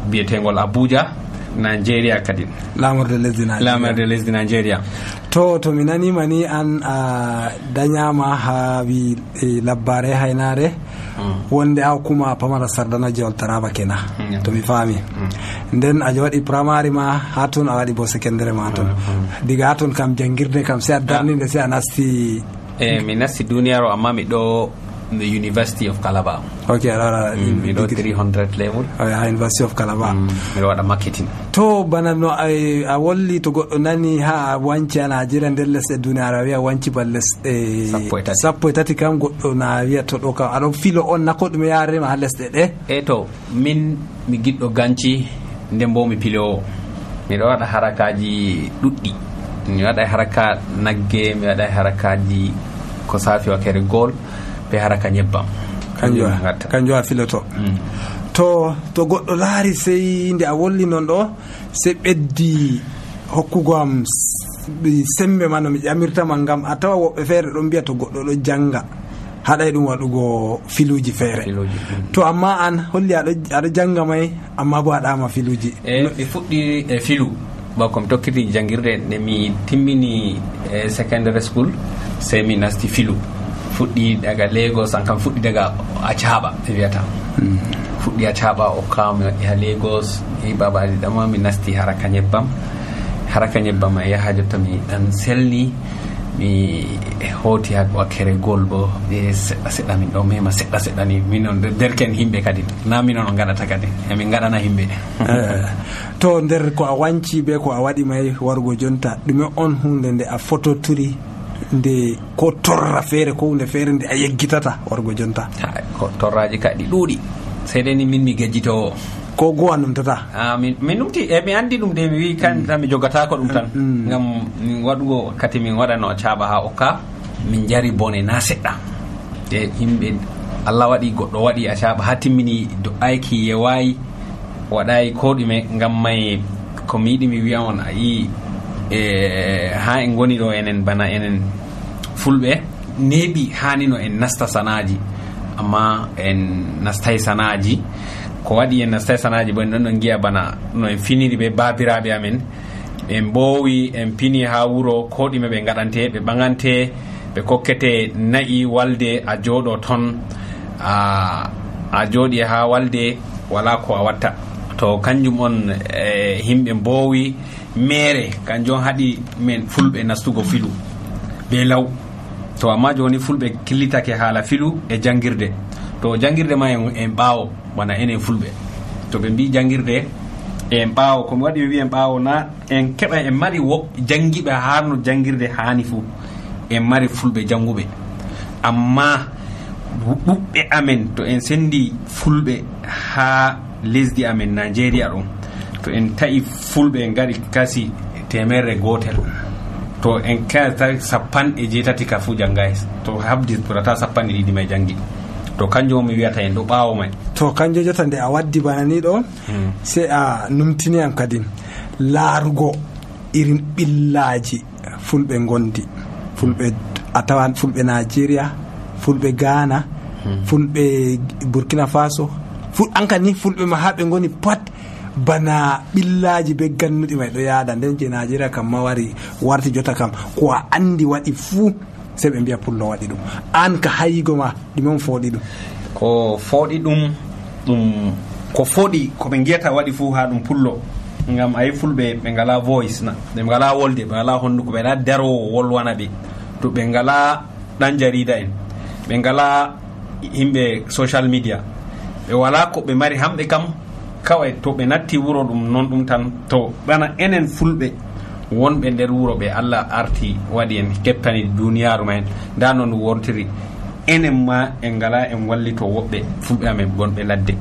[SPEAKER 9] biyetegol Abuja Nigeria kadi
[SPEAKER 8] lamorde lesdi Nigeria
[SPEAKER 9] lamorde lesdi Nigeria.
[SPEAKER 8] to to mi nanima ni an a dañama ha wi e labbare Haynare mm. wonde a kuma pamara sardana jewol Taraba kena mm. to mi faami mm. nden a waɗi primary ma ha ton a waɗi bo secondary ma ton mm. diga ha ton kam jangirde kam sai a darninde sai a nasti
[SPEAKER 9] e mi nasti duniyaro amma mi ɗo the University of Calabar.
[SPEAKER 8] Okay, alors
[SPEAKER 9] mm, mi ɗo three hundred level
[SPEAKER 8] oh, yeah, University of Calabar.
[SPEAKER 9] mm, mi ɗo waɗa marketing.
[SPEAKER 8] to bana no a wolli to goɗɗo nani ha a wanci a Nigeria nder lesɗe duniyaro a wiya wanci ba lesɗe sappo e tati kam goɗɗo na wiya to ɗo kam aɗon filo on nako ɗume yarema ha lesɗe ɗe.
[SPEAKER 9] e to min mi giɗɗo ganci nden bo mi pilowo. miɗo waɗa harakaji ɗuɗɗi. mi waɗa haraka nagge, mi waɗa harakaji ko safi wakere gol be haraka nyebbam
[SPEAKER 8] kanjo kanjo a filoto. mm. to to goɗɗo laari sey nde a wolli non ɗo sey ɓeddi hokkugo am sembe ma no mi ƴamirtama ngam a tawa woɓɓe feere ɗon mbiya to goɗɗo ɗo janga haɗay ɗum waɗugo filuji feere. mm. to amma an holli aɗo janga may amma bo aɗama filuji.
[SPEAKER 9] e mi fuɗɗi e filu bako mi tokkiti jangirde nde mi timmini e secondary school sey mi nasti filu. fuɗɗi daga Lagos an kam fuɗɗi daga Acaɓa ɓe wiyata. mm. fuɗɗi Acaɓa o kam mi waɗi ha Lagos e babaji ɗama mi nasti haraka nyebbam haraka nyebbam e yaha jotta mi ɗan selni mi hoti ha wakkere gol bo e seɗɗa seɗɗa min ɗo mema seɗɗa seɗɗa ni minon derken himɓe kadi na minon on gaɗata kadi emin gaɗana himɓe.
[SPEAKER 8] to nder ko a wanci be ko a waɗi may wargo jonta ɗume on hunde nde a fototiri nde ko torra feere ko hunde feere nde a yeggitata wargo jonta?
[SPEAKER 9] ko torraji kadi ɗuuɗi sey dai ni min mi gejjitowo
[SPEAKER 8] ko gowa numtata.
[SPEAKER 9] ah min min numti e mi andi ɗum de mi wi kan mm. mi jogata ko ɗum tan mm. ngam min waɗugo kati min waɗano Acaɓa ha Okka min jari bone na seɗɗa e yimɓe Allah waɗi goɗɗo waɗi a caɓa ha timmini do'ayki yewayi waɗayi ko ɗume ngam may ko mi yiɗi mi wiya on a yi e ha en goni ɗo enen bana enen fulɓe neeɓi hanino en nasta sanaji amma en nastay sanaji ko waɗi en nastay sanaji bo en ɗon ɗon giya bana no en finiri ɓe babiraɓe amen ɓe mbowi en pini ha wuro ko ɗume ɓe gaɗante ɓe ɓagante ɓe kokkete nayi walde a jooɗo ton a a jooɗi ha walde wala ko a watta to kanjum on e himɓe mbowi mere kanjum haɗi men fulɓe nastugo filu be law to amma joni fulɓe killitake haala filu e jangirde to jangirde ma en ɓaawo bana enen fulɓe to ɓe mbi jangirde en ɓaawo komi waɗi mi wi en ɓaawo na en keɓa en mari wo jangiɓe harno jangirde hani fuu en mari fulɓe janguɓe amma ɗuɓɓe amen to en sendi fulɓe ha lesdi amen Nigeria ɗum to en ta'i fulɓe en gaɗi kasi temerre gotel to en kata sappanɗe jeetati ka fuu janngay to habdi ɓurata sappanɗe ɗiɗi may jangi to kanjum mi wiyata en ɗo ɓaawo may
[SPEAKER 8] to kanjum jota nde a waddi bana ni ɗo hmm. sey a numtini am kadi laarugo irin ɓillaji fulɓe gondi fulɓe a tawan fulɓe Nigeria fulɓe Ghana hmm. fulɓe Burkina Faso ful anka ni fulɓe ma ha ɓe goni pat bana ɓillaji be gannuɗi may ɗo yaada nden je Nigeria kam ma wari warti jota kam ko a andi waɗi fuu sey ɓe mbiya pullo waɗi ɗum an ka hayigo ma ɗume on fooɗi ɗum
[SPEAKER 9] ko fooɗi ɗum ɗum ko fooɗi ko ɓe giyata waɗi fuu ha ɗum pullo ngam ayi fulɓe ɓe ngala voice na ɓe ngala wolde ɓe ngala honduko ɓe ngala darowo wolwana ɓe to ɓe ngala ɗan jarida en ɓe ngala yimɓe social media ɓe wala ko ɓe mari hamɓe kam kawai to ɓe natti wuro ɗum non ɗum tan to bana enen fulɓe wonɓe nder wuro ɓe Allah arti waɗi en kettani duniyaru ma en nda noon wontiri enen ma en ngala en wallito woɓɓe fulɓe amen gonɓe ladde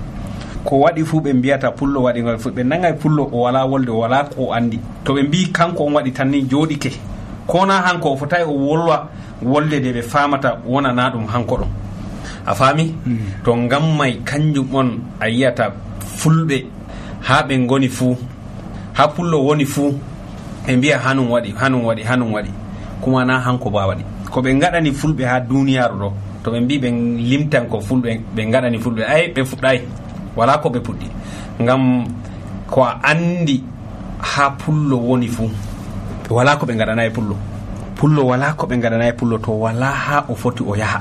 [SPEAKER 9] ko waɗi fuu ɓe mbiyata pullo waɗi ngol fu ɓe nangay pullo o wala wolde o wala ko andi to ɓe mbi kanko on waɗi tan ni jooɗike kona hanko o fotayi o wolwa wolde de ɓe famata wonana ɗum hanko ɗon a faami mm. to ngam may kanjum on a yiyata fulɓe ha ɓe goni fuu ha pullo woni fuu ɓe mbiya hanum waɗi hanum waɗi hanum waɗi kuma na hanko ba waɗi ko ɓe gaɗani fulɓe ha duniyaru ɗo to ɓe mbi ɓe limtan ko fulɓe ɓe gaɗani fulɓe ay ɓe fuɗɗay wala ko ɓe puɗɗi ngam ko a andi ha pullo woni fuu wala ko ɓe gaɗanayi pullo pullo wala ko ɓe gaɗanayi pullo to wala ha o foti o yaha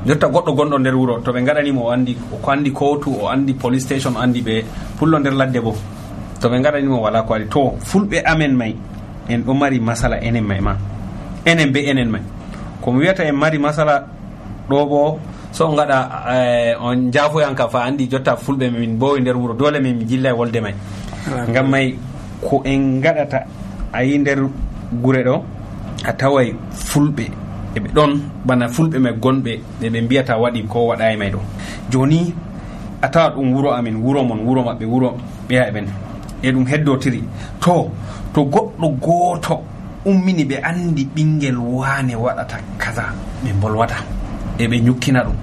[SPEAKER 9] jotta goɗɗo gonɗo nder wuro to ɓe gaɗanimo o andi ko andi kotu o andi police station o andi ɓe pullo nder ladde bo to ɓe gaɗanimo wala ko waɗi to fulɓe amen may en ɗo mari masala enen may ma enen be enen may komi wiyata en mari masala ɗo bo so on gaɗa eh, on jaafoyanka fa andi jotta fulɓe min bowi nder wuro dole min jilla e wolde may ngam may ko en gaɗata a yi nder gure ɗo a taway fulɓe eɓe ɗon bana fulɓe may gonɓe ɓe mbiyata waɗi ko waɗayi may ɗo joni a tawa ɗum wuro amin wuro mon wuro maɓɓe wuro ɓeya ɓen e ɗum heddotiri to to goɗɗo gooto ummini ɓe andi ɓinguel wane waɗata kaza ɓe bolwata e ɓe ñukkina ɗum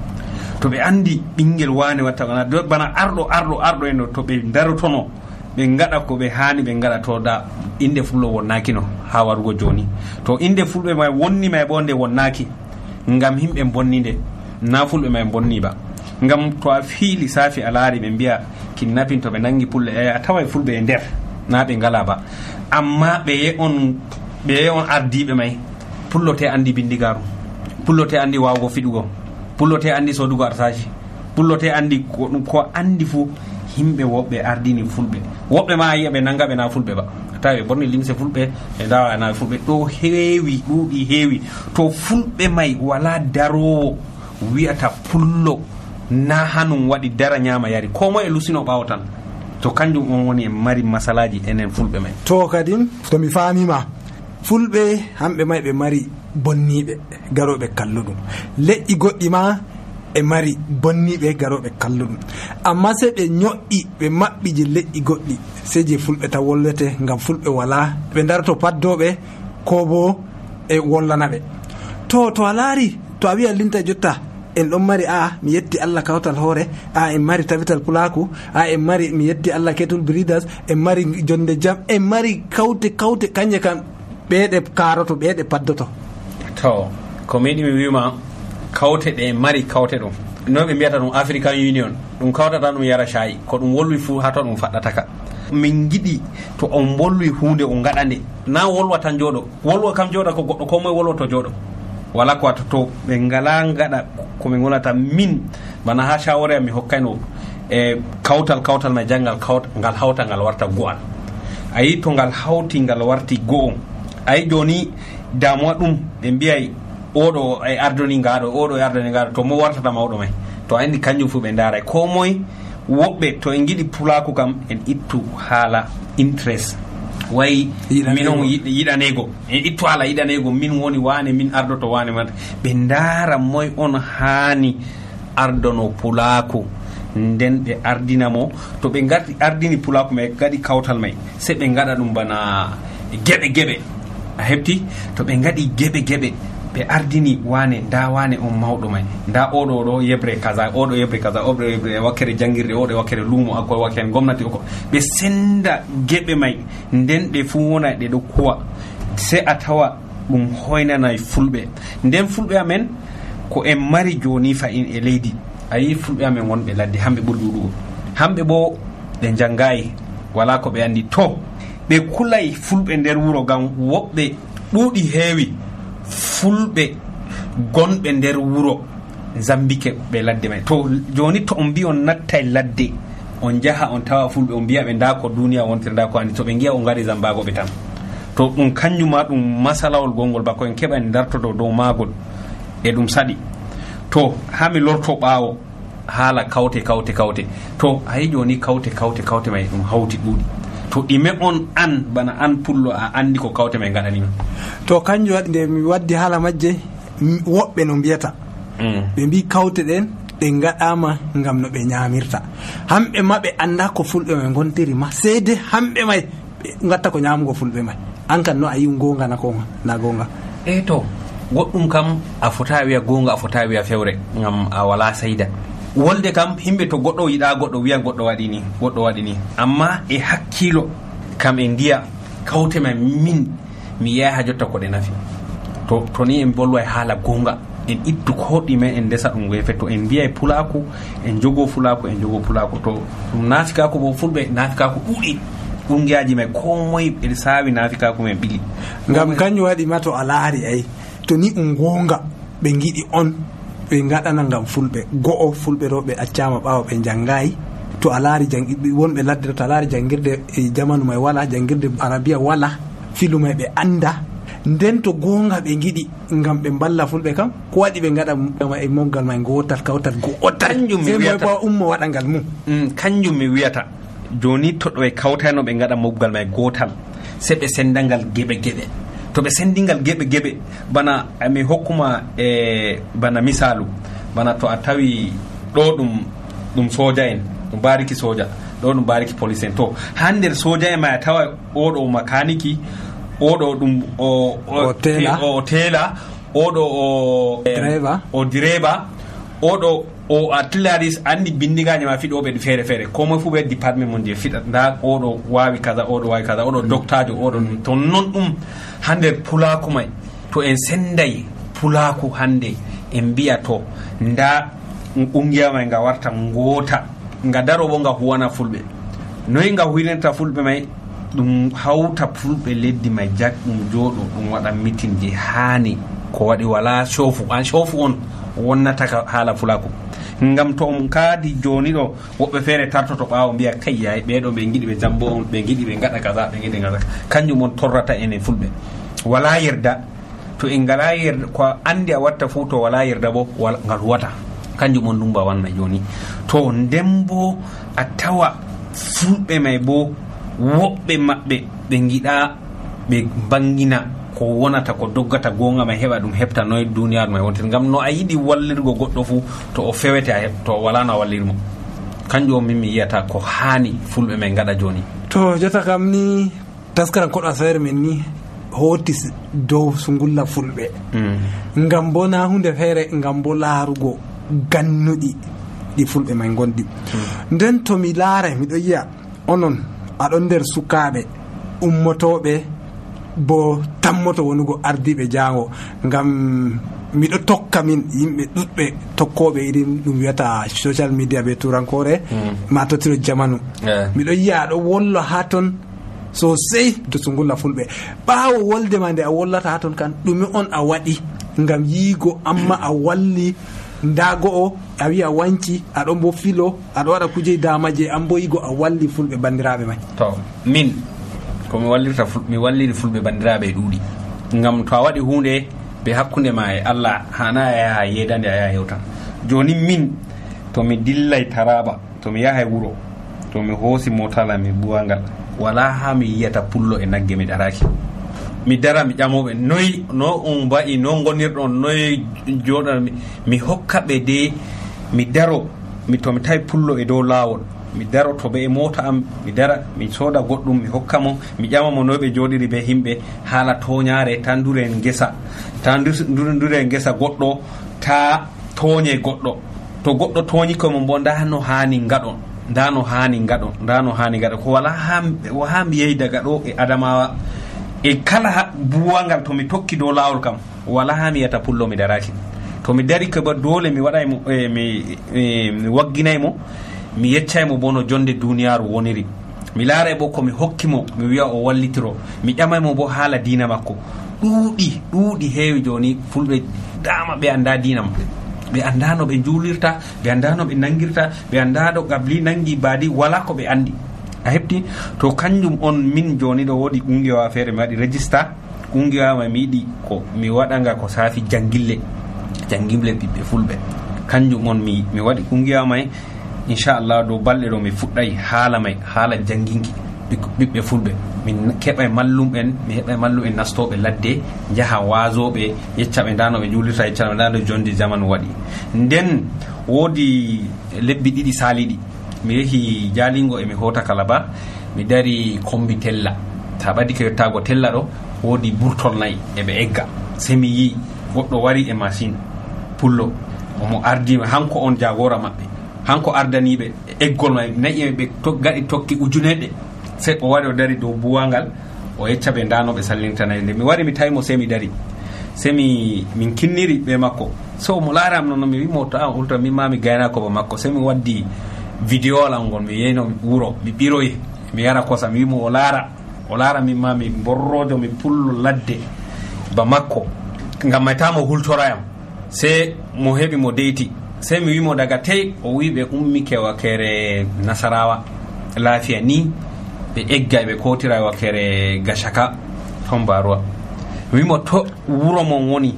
[SPEAKER 9] to ɓe andi ɓinguel wane watta bana arɗo arɗo arɗo en to ɓe darotono ɓe gaɗa ko ɓe hani ɓe gaɗa to da inde fullo wonnakino ha warugo joni to inde fulɓe may wonni may bo nde wonnaki ngam himɓe bonni nde na fulɓe may bonni ba ngam to a fiili safi a laari ɓe mbiya kidnapping to ɓe nangi pulle e a taway fulɓe e nder na ɓe ngala ba amma ɓe ye on ɓe ye on ardiɓe may pullote andi bindigaru pullote andi wawgo fiɗugo pullote andi sodugo arsaji pullote andi ko ɗum ko andi fuu himɓe woɓɓe ardini fulɓe woɓɓe ma yiya ɓe nanga ɓe na fulɓe ba tawi ɓe borni limse fulɓe ɓe dawa na fulɓe ɗo heewi ɗuuɗi heewi to fulɓe may wala darowo wiyata pullo na hanum waɗi dara ñama yari ko moye lusino ɓawo tan to kanjum on woni en mari masalaji enen fulɓe may
[SPEAKER 8] to kadi to mi famima fulɓe hamɓe may ɓe mari bonniɓe garoɓe kalluɗum leƴƴi goɗɗi ma e mari bonniɓe garoɓe kalluɗum amma sey ɓe ño'i ɓe maɓɓiji leƴƴi goɗɗi sey je fulɓe taw wollete ngam fulɓe wala ɓe darto paddoɓe ko bo e wollanaɓe to to a laari to a wiya linta jotta en ɗon mari a mi yetti Allah kawtal hoore, a en mari tabital pulaku, a en mari mi yetti Allah kettle breeders, en mari jonde jam, en mari kawte kawte kanje kam ɓeeɗe karoto ɓeeɗe paddoto.
[SPEAKER 9] To ko meɗi mi wima kawte ɗe mari kawte ɗum no ɓe mbiyata ɗum African Union ɗum kawtata ɗum yara shayi ko ɗum wolwi fu hato ɗum faɗɗataka. min giɗi to on bolwi hunde o gaɗande na wolwa tan jooɗo, wolwa kam jooɗa ko goɗɗo ko moye wolwa to jooɗo wala ko wata to ɓe ngala gaɗa komin gonata min bana ha shawara mi hokkayno e kawtal kawtal mai jangal ngal hawta ngal warta go'al. Ayi to ngal hawti ngal warti go'o, ayi joni damuwa ɗum ɓe mbiyay oɗo e ardoni ngaɗo oɗo e ardoni ngaɗo to mo wartata mawɗo mai to andi kanjum fu ɓe ndaray ko moye. Woɓɓe to en giɗi pulaku kam en ittu haala interest wayi min on yiɗanego en ittu haala yiɗanego min woni wane min ardoto wane man ɓe ndaara moye on haani ardono pulaku nden ɓe ardinamo to ɓe gardi ardini pulaku mai gaɗi kawtal mai se ɓe gaɗa ɗum bana geɓe geɓe a hefti to ɓe gaɗi geɓe geɓe ɓe ardini wane nda wane on mawɗo mai nda oɗo ɗo yebre kaza oɗo yebre kaza oɗo yebre wakkere jangirde oɗo wakkere lumo akko wakkere gomnati oko ɓe senda geɓe mai nden ɗe fu wona ɗe ɗo kuwa se a tawa ɗum hoynanay fulɓe nden fulɓe amen ko en mari joni fayin e leydi ayi fulɓe amen wonɓe ladde hamɓe ɓuri ɗuɗugo hamɓe bo ɓe jangayi wala ko ɓe andi to ɓe kulay fulɓe nder wuro gam woɓɓe ɗuuɗi heewi fulɓe gonɓe nder wuro zambike ɓe ladde mai to joni to on mbi on nattay ladde on jaha on tawa fulɓe on mbiya ɓe nda ko duniya wontiri nda ko andi to ɓe giya on gari zambago ɓe tan to ɗum kanjuma ɗum masalawol gongol bako en keɓa en dartoto dow magol e ɗum saɗi to ha mi lorto ɓaawo haala kawte kawte kawte to hayi joni kawte kawte kawte mai ɗum hawti ɗuuɗi to ɗime on an bana an pullo a andi ko kawte mai gaɗanima
[SPEAKER 8] to kanjum waɗi nde mi waddi haala majje woɓɓe no mbiyata ɓe mbi kawte ɗen ɗe gaɗama gam no ɓe ñamirta hamɓe ma ɓe anda ko fulɓe mai gontiri ma seede hamɓe may ɓe gatta ko ñamugo fulɓe may an kan no a yi gonga na konga na gonga
[SPEAKER 9] e to goɗɗum kam a fota wiya gonga a fota wiya fewre gam a wala sayda wolde kam himɓe to goɗɗo yiɗa goɗɗo wiya goɗɗo waɗi ni goɗɗo waɗi ni amma e hakkilo kam en ndiya kawte ma min mi yiya ha jotta ko ɗe nafi to to ni en bolwa e haala gonga en ittu koɗɗime en ndesa ɗum wefe to en mbiya e pulaku en jogo fulaku en jogo pulaku to ɗum naafikaku bo fulɓe naafikaku ɗuuɗi ɓungiyaji mai ko moye ɓe saawi naafikaku men ɓili
[SPEAKER 8] ngam kanjum waɗi ma to a laari ay to ni ɗum gonga ɓe giɗi on ɓe gaɗana gam fulɓe go'o fulɓe ɗo ɓe accama ɓawa ɓe jangayi to a laari wonɓe ladde to a laari jangirde e jamanu may wala jangirde arabia wala filu may ɓe anda nden to gonga ɓe giɗi gam ɓe balla fulɓe kam ko waɗi ɓe gaɗa e moggal may gotal kawtal go'otal moy ummo waɗa ngal mum
[SPEAKER 9] kanjum mi wiyata joni to ɗo e kawtano ɓe gaɗa moggal may gotal se ɓe sendangal geɓe geɓe to ɓe sendingal geɓe geɓe bana mi hokkuma e bana misalu bana to a tawi ɗo ɗum ɗum soja en ɗum bariki soja ɗo ɗum bariki police en to ha nder soja en ma a tawa oɗo makaniki oɗo ɗum o o tela oɗo o
[SPEAKER 8] driver
[SPEAKER 9] o direba oɗo o artilleries andi bindigaji ma fiɗoɓe ɗi feere feere ko moye fu ɓe département mon je fiɗat nda oɗo wawi kaza oɗo wawi kaza oɗo doctajo oɗo to non ɗum hande pulaku may to en senday pulaku hande en mbiya to nda ƙungiya may nga warta ngota nga daro bo nga huwana fulɓe noyi nga huynanta fulɓe may ɗum hawta fulɓe leddi may jak ɗum jooɗo ɗum waɗa meeting je haani ko waɗi wala shofu an shofu on wonnata haala fulaku ngam to on kaadi joni ɗo woɓɓe feere tartoto ɓaawo mbiya kay yayi ɓeɗo ɓe giɗi ɓe jambo on ɓe giɗi ɓe gaɗa kaza ɓe giɗi kaza kanjum on torrata enen fulɓe wala yerda to en ngala yerda ko andi a watta fu to wala yerda bo ngal huwata kanjum on ndumba wanna joni to nden bo a tawa fulɓe may bo woɓɓe maɓɓe ɓe giɗa ɓe bangina ko wonata ko doggata gonga may heɓa ɗum heɓta noye duniyaru may wontir ngam no a yiɗi wallirgo goɗɗo fu to o fewete a heɓ to wala no a wallirmo kanjum on min mi yiyata ko haani fulɓe may gaɗa joni
[SPEAKER 8] to jota kam ni taskaran koɗo asawere men ni hotis dow sungulla fulɓe mm. ngam bo na hunde feere ngam bo laarugo gannuɗi ɗi fulɓe may gonɗi. mm. nden to mi laara miɗo yiya onon aɗon nder sukaaɓe ummotoɓe bo tammoto wonugo ardiɓe jango, ngam miɗo tokka min yimɓe ɗuɗɓe tokkoɓe irin ɗum wiyata social media ɓe turankore, mm. ma tottiro jamanu. yeah. miɗo yiya aɗo wolla ha ton sosai to sungulla fulɓe. ɓawo wolde ma nde a wollata ha ton kan ɗume on a waɗi ngam yiigo amma a walli ndago o a wi a wanci aɗon bo filo aɗo waɗa kuje damaje an bo yigo a walli fulɓe bandiraɓe may.
[SPEAKER 9] to min komi wallirta mi walliri fulɓe bandiraɓe ɗuuɗi, ngam to a waɗi hunde be hakkunde ma e Allah hana a yaha yedande a yaha hewtan. joni min to mi dillay Taraba to mi yahay wuro to mi hoosi motala mi buwangal wala ha mi yiyata pullo e nagge mi daraki, mi dara mi ƴamoɓe noyi no on mba'i no gonirɗon noyi joɗan mi hokka ɓe de mi daro mi to mi tawi pullo e dow lawol mi daro to ɓe e mota am mi dara mi soda goɗɗum mi hokka mo mi ƴamamo no ɓe joɗiri be himɓe haala toñare tan dure en gesa ta dure en gesa goɗɗo ta toñe goɗɗo to goɗɗo toñi komo mbo nda no hani ngaɗon nda no hani ngaɗon nda no hani ngaɗon ko wala ha ha mi yehi daga ɗo e Adamawa e kala buwangal to mi tokki dow lawol kam wala ha mi yata pullo mi daraki. to mi dari ko ba dole mi waɗaymo e, mi, e, mi wagginaymo mi yeccaymo bo no jonde duniyaru woniri, mi laaray bo komi hokkimo mi wiya o wallitiro, mi ƴamaymo bo haala diina makko. ɗuuɗi ɗuuɗi heewi joni fulɓe dama ɓe anda diina ma, ɓe anda no ɓe juulirta, ɓe anda no ɓe nangirta, ɓe anda ɗo gabli nangi baadi wala ko ɓe andi a heɓti. to kanjum on min joni ɗo woodi ƙungiyawa feere mi waɗi régista ƙungiyawa ma mi yiɗi ko mi waɗanga ko saafi jangille jangille ɓiɓɓe fulɓe, kanjum on mi mi waɗi ƙungiyawa may inchallah dow balɗe ɗo mi fuɗɗay haala may haala janginki ɓiɓɓe fulɓe. min keɓay mallum en mi heɓay mallum en nastoɓe ladde jaha wazoɓe yeccaɓe ndano ɓe juulirta yeccaɓe ndano jonde jamanu waɗi. nden woodi lebbi ɗiɗi saliɗi mi yehi Jalingo e mi hota Kalaba mi dari kombi Tella, ta ɓadi ko yettago Tella ɗo woodi burtol nayyi eɓe egga, se mi yi goɗɗo wari e machine pullo omo ardima hanko on jagora maɓɓe, hanko ardaniɓe eggol may nayi ɓe gaɗi tokki ujuneɗe, se o wari o dari dow buwangal o yecca ɓe ndanoɓe sallintanayi. nde mi wari mi tawimo se mi dari se mi min kinniri ɓe makko, so mo laaram noon mi wimo to an ulta min ma mi gaynako ba makko, se mi waddi vidéo al ngol mi yeyno wuro mi ɓiroyi mi yara kosa mi wimo o laara o laara min ma mi borrojo mi pullo ladde ba makko ngam maytamo hultorayam. se mo heɓi mo deyti se mi wimo daga tey o wi ɓe ummike wakere Nasarawa lafiya ni ɓe egga ɓe kotira wakere Gashaka ton Baruwa. mi wimo to wuro mon woni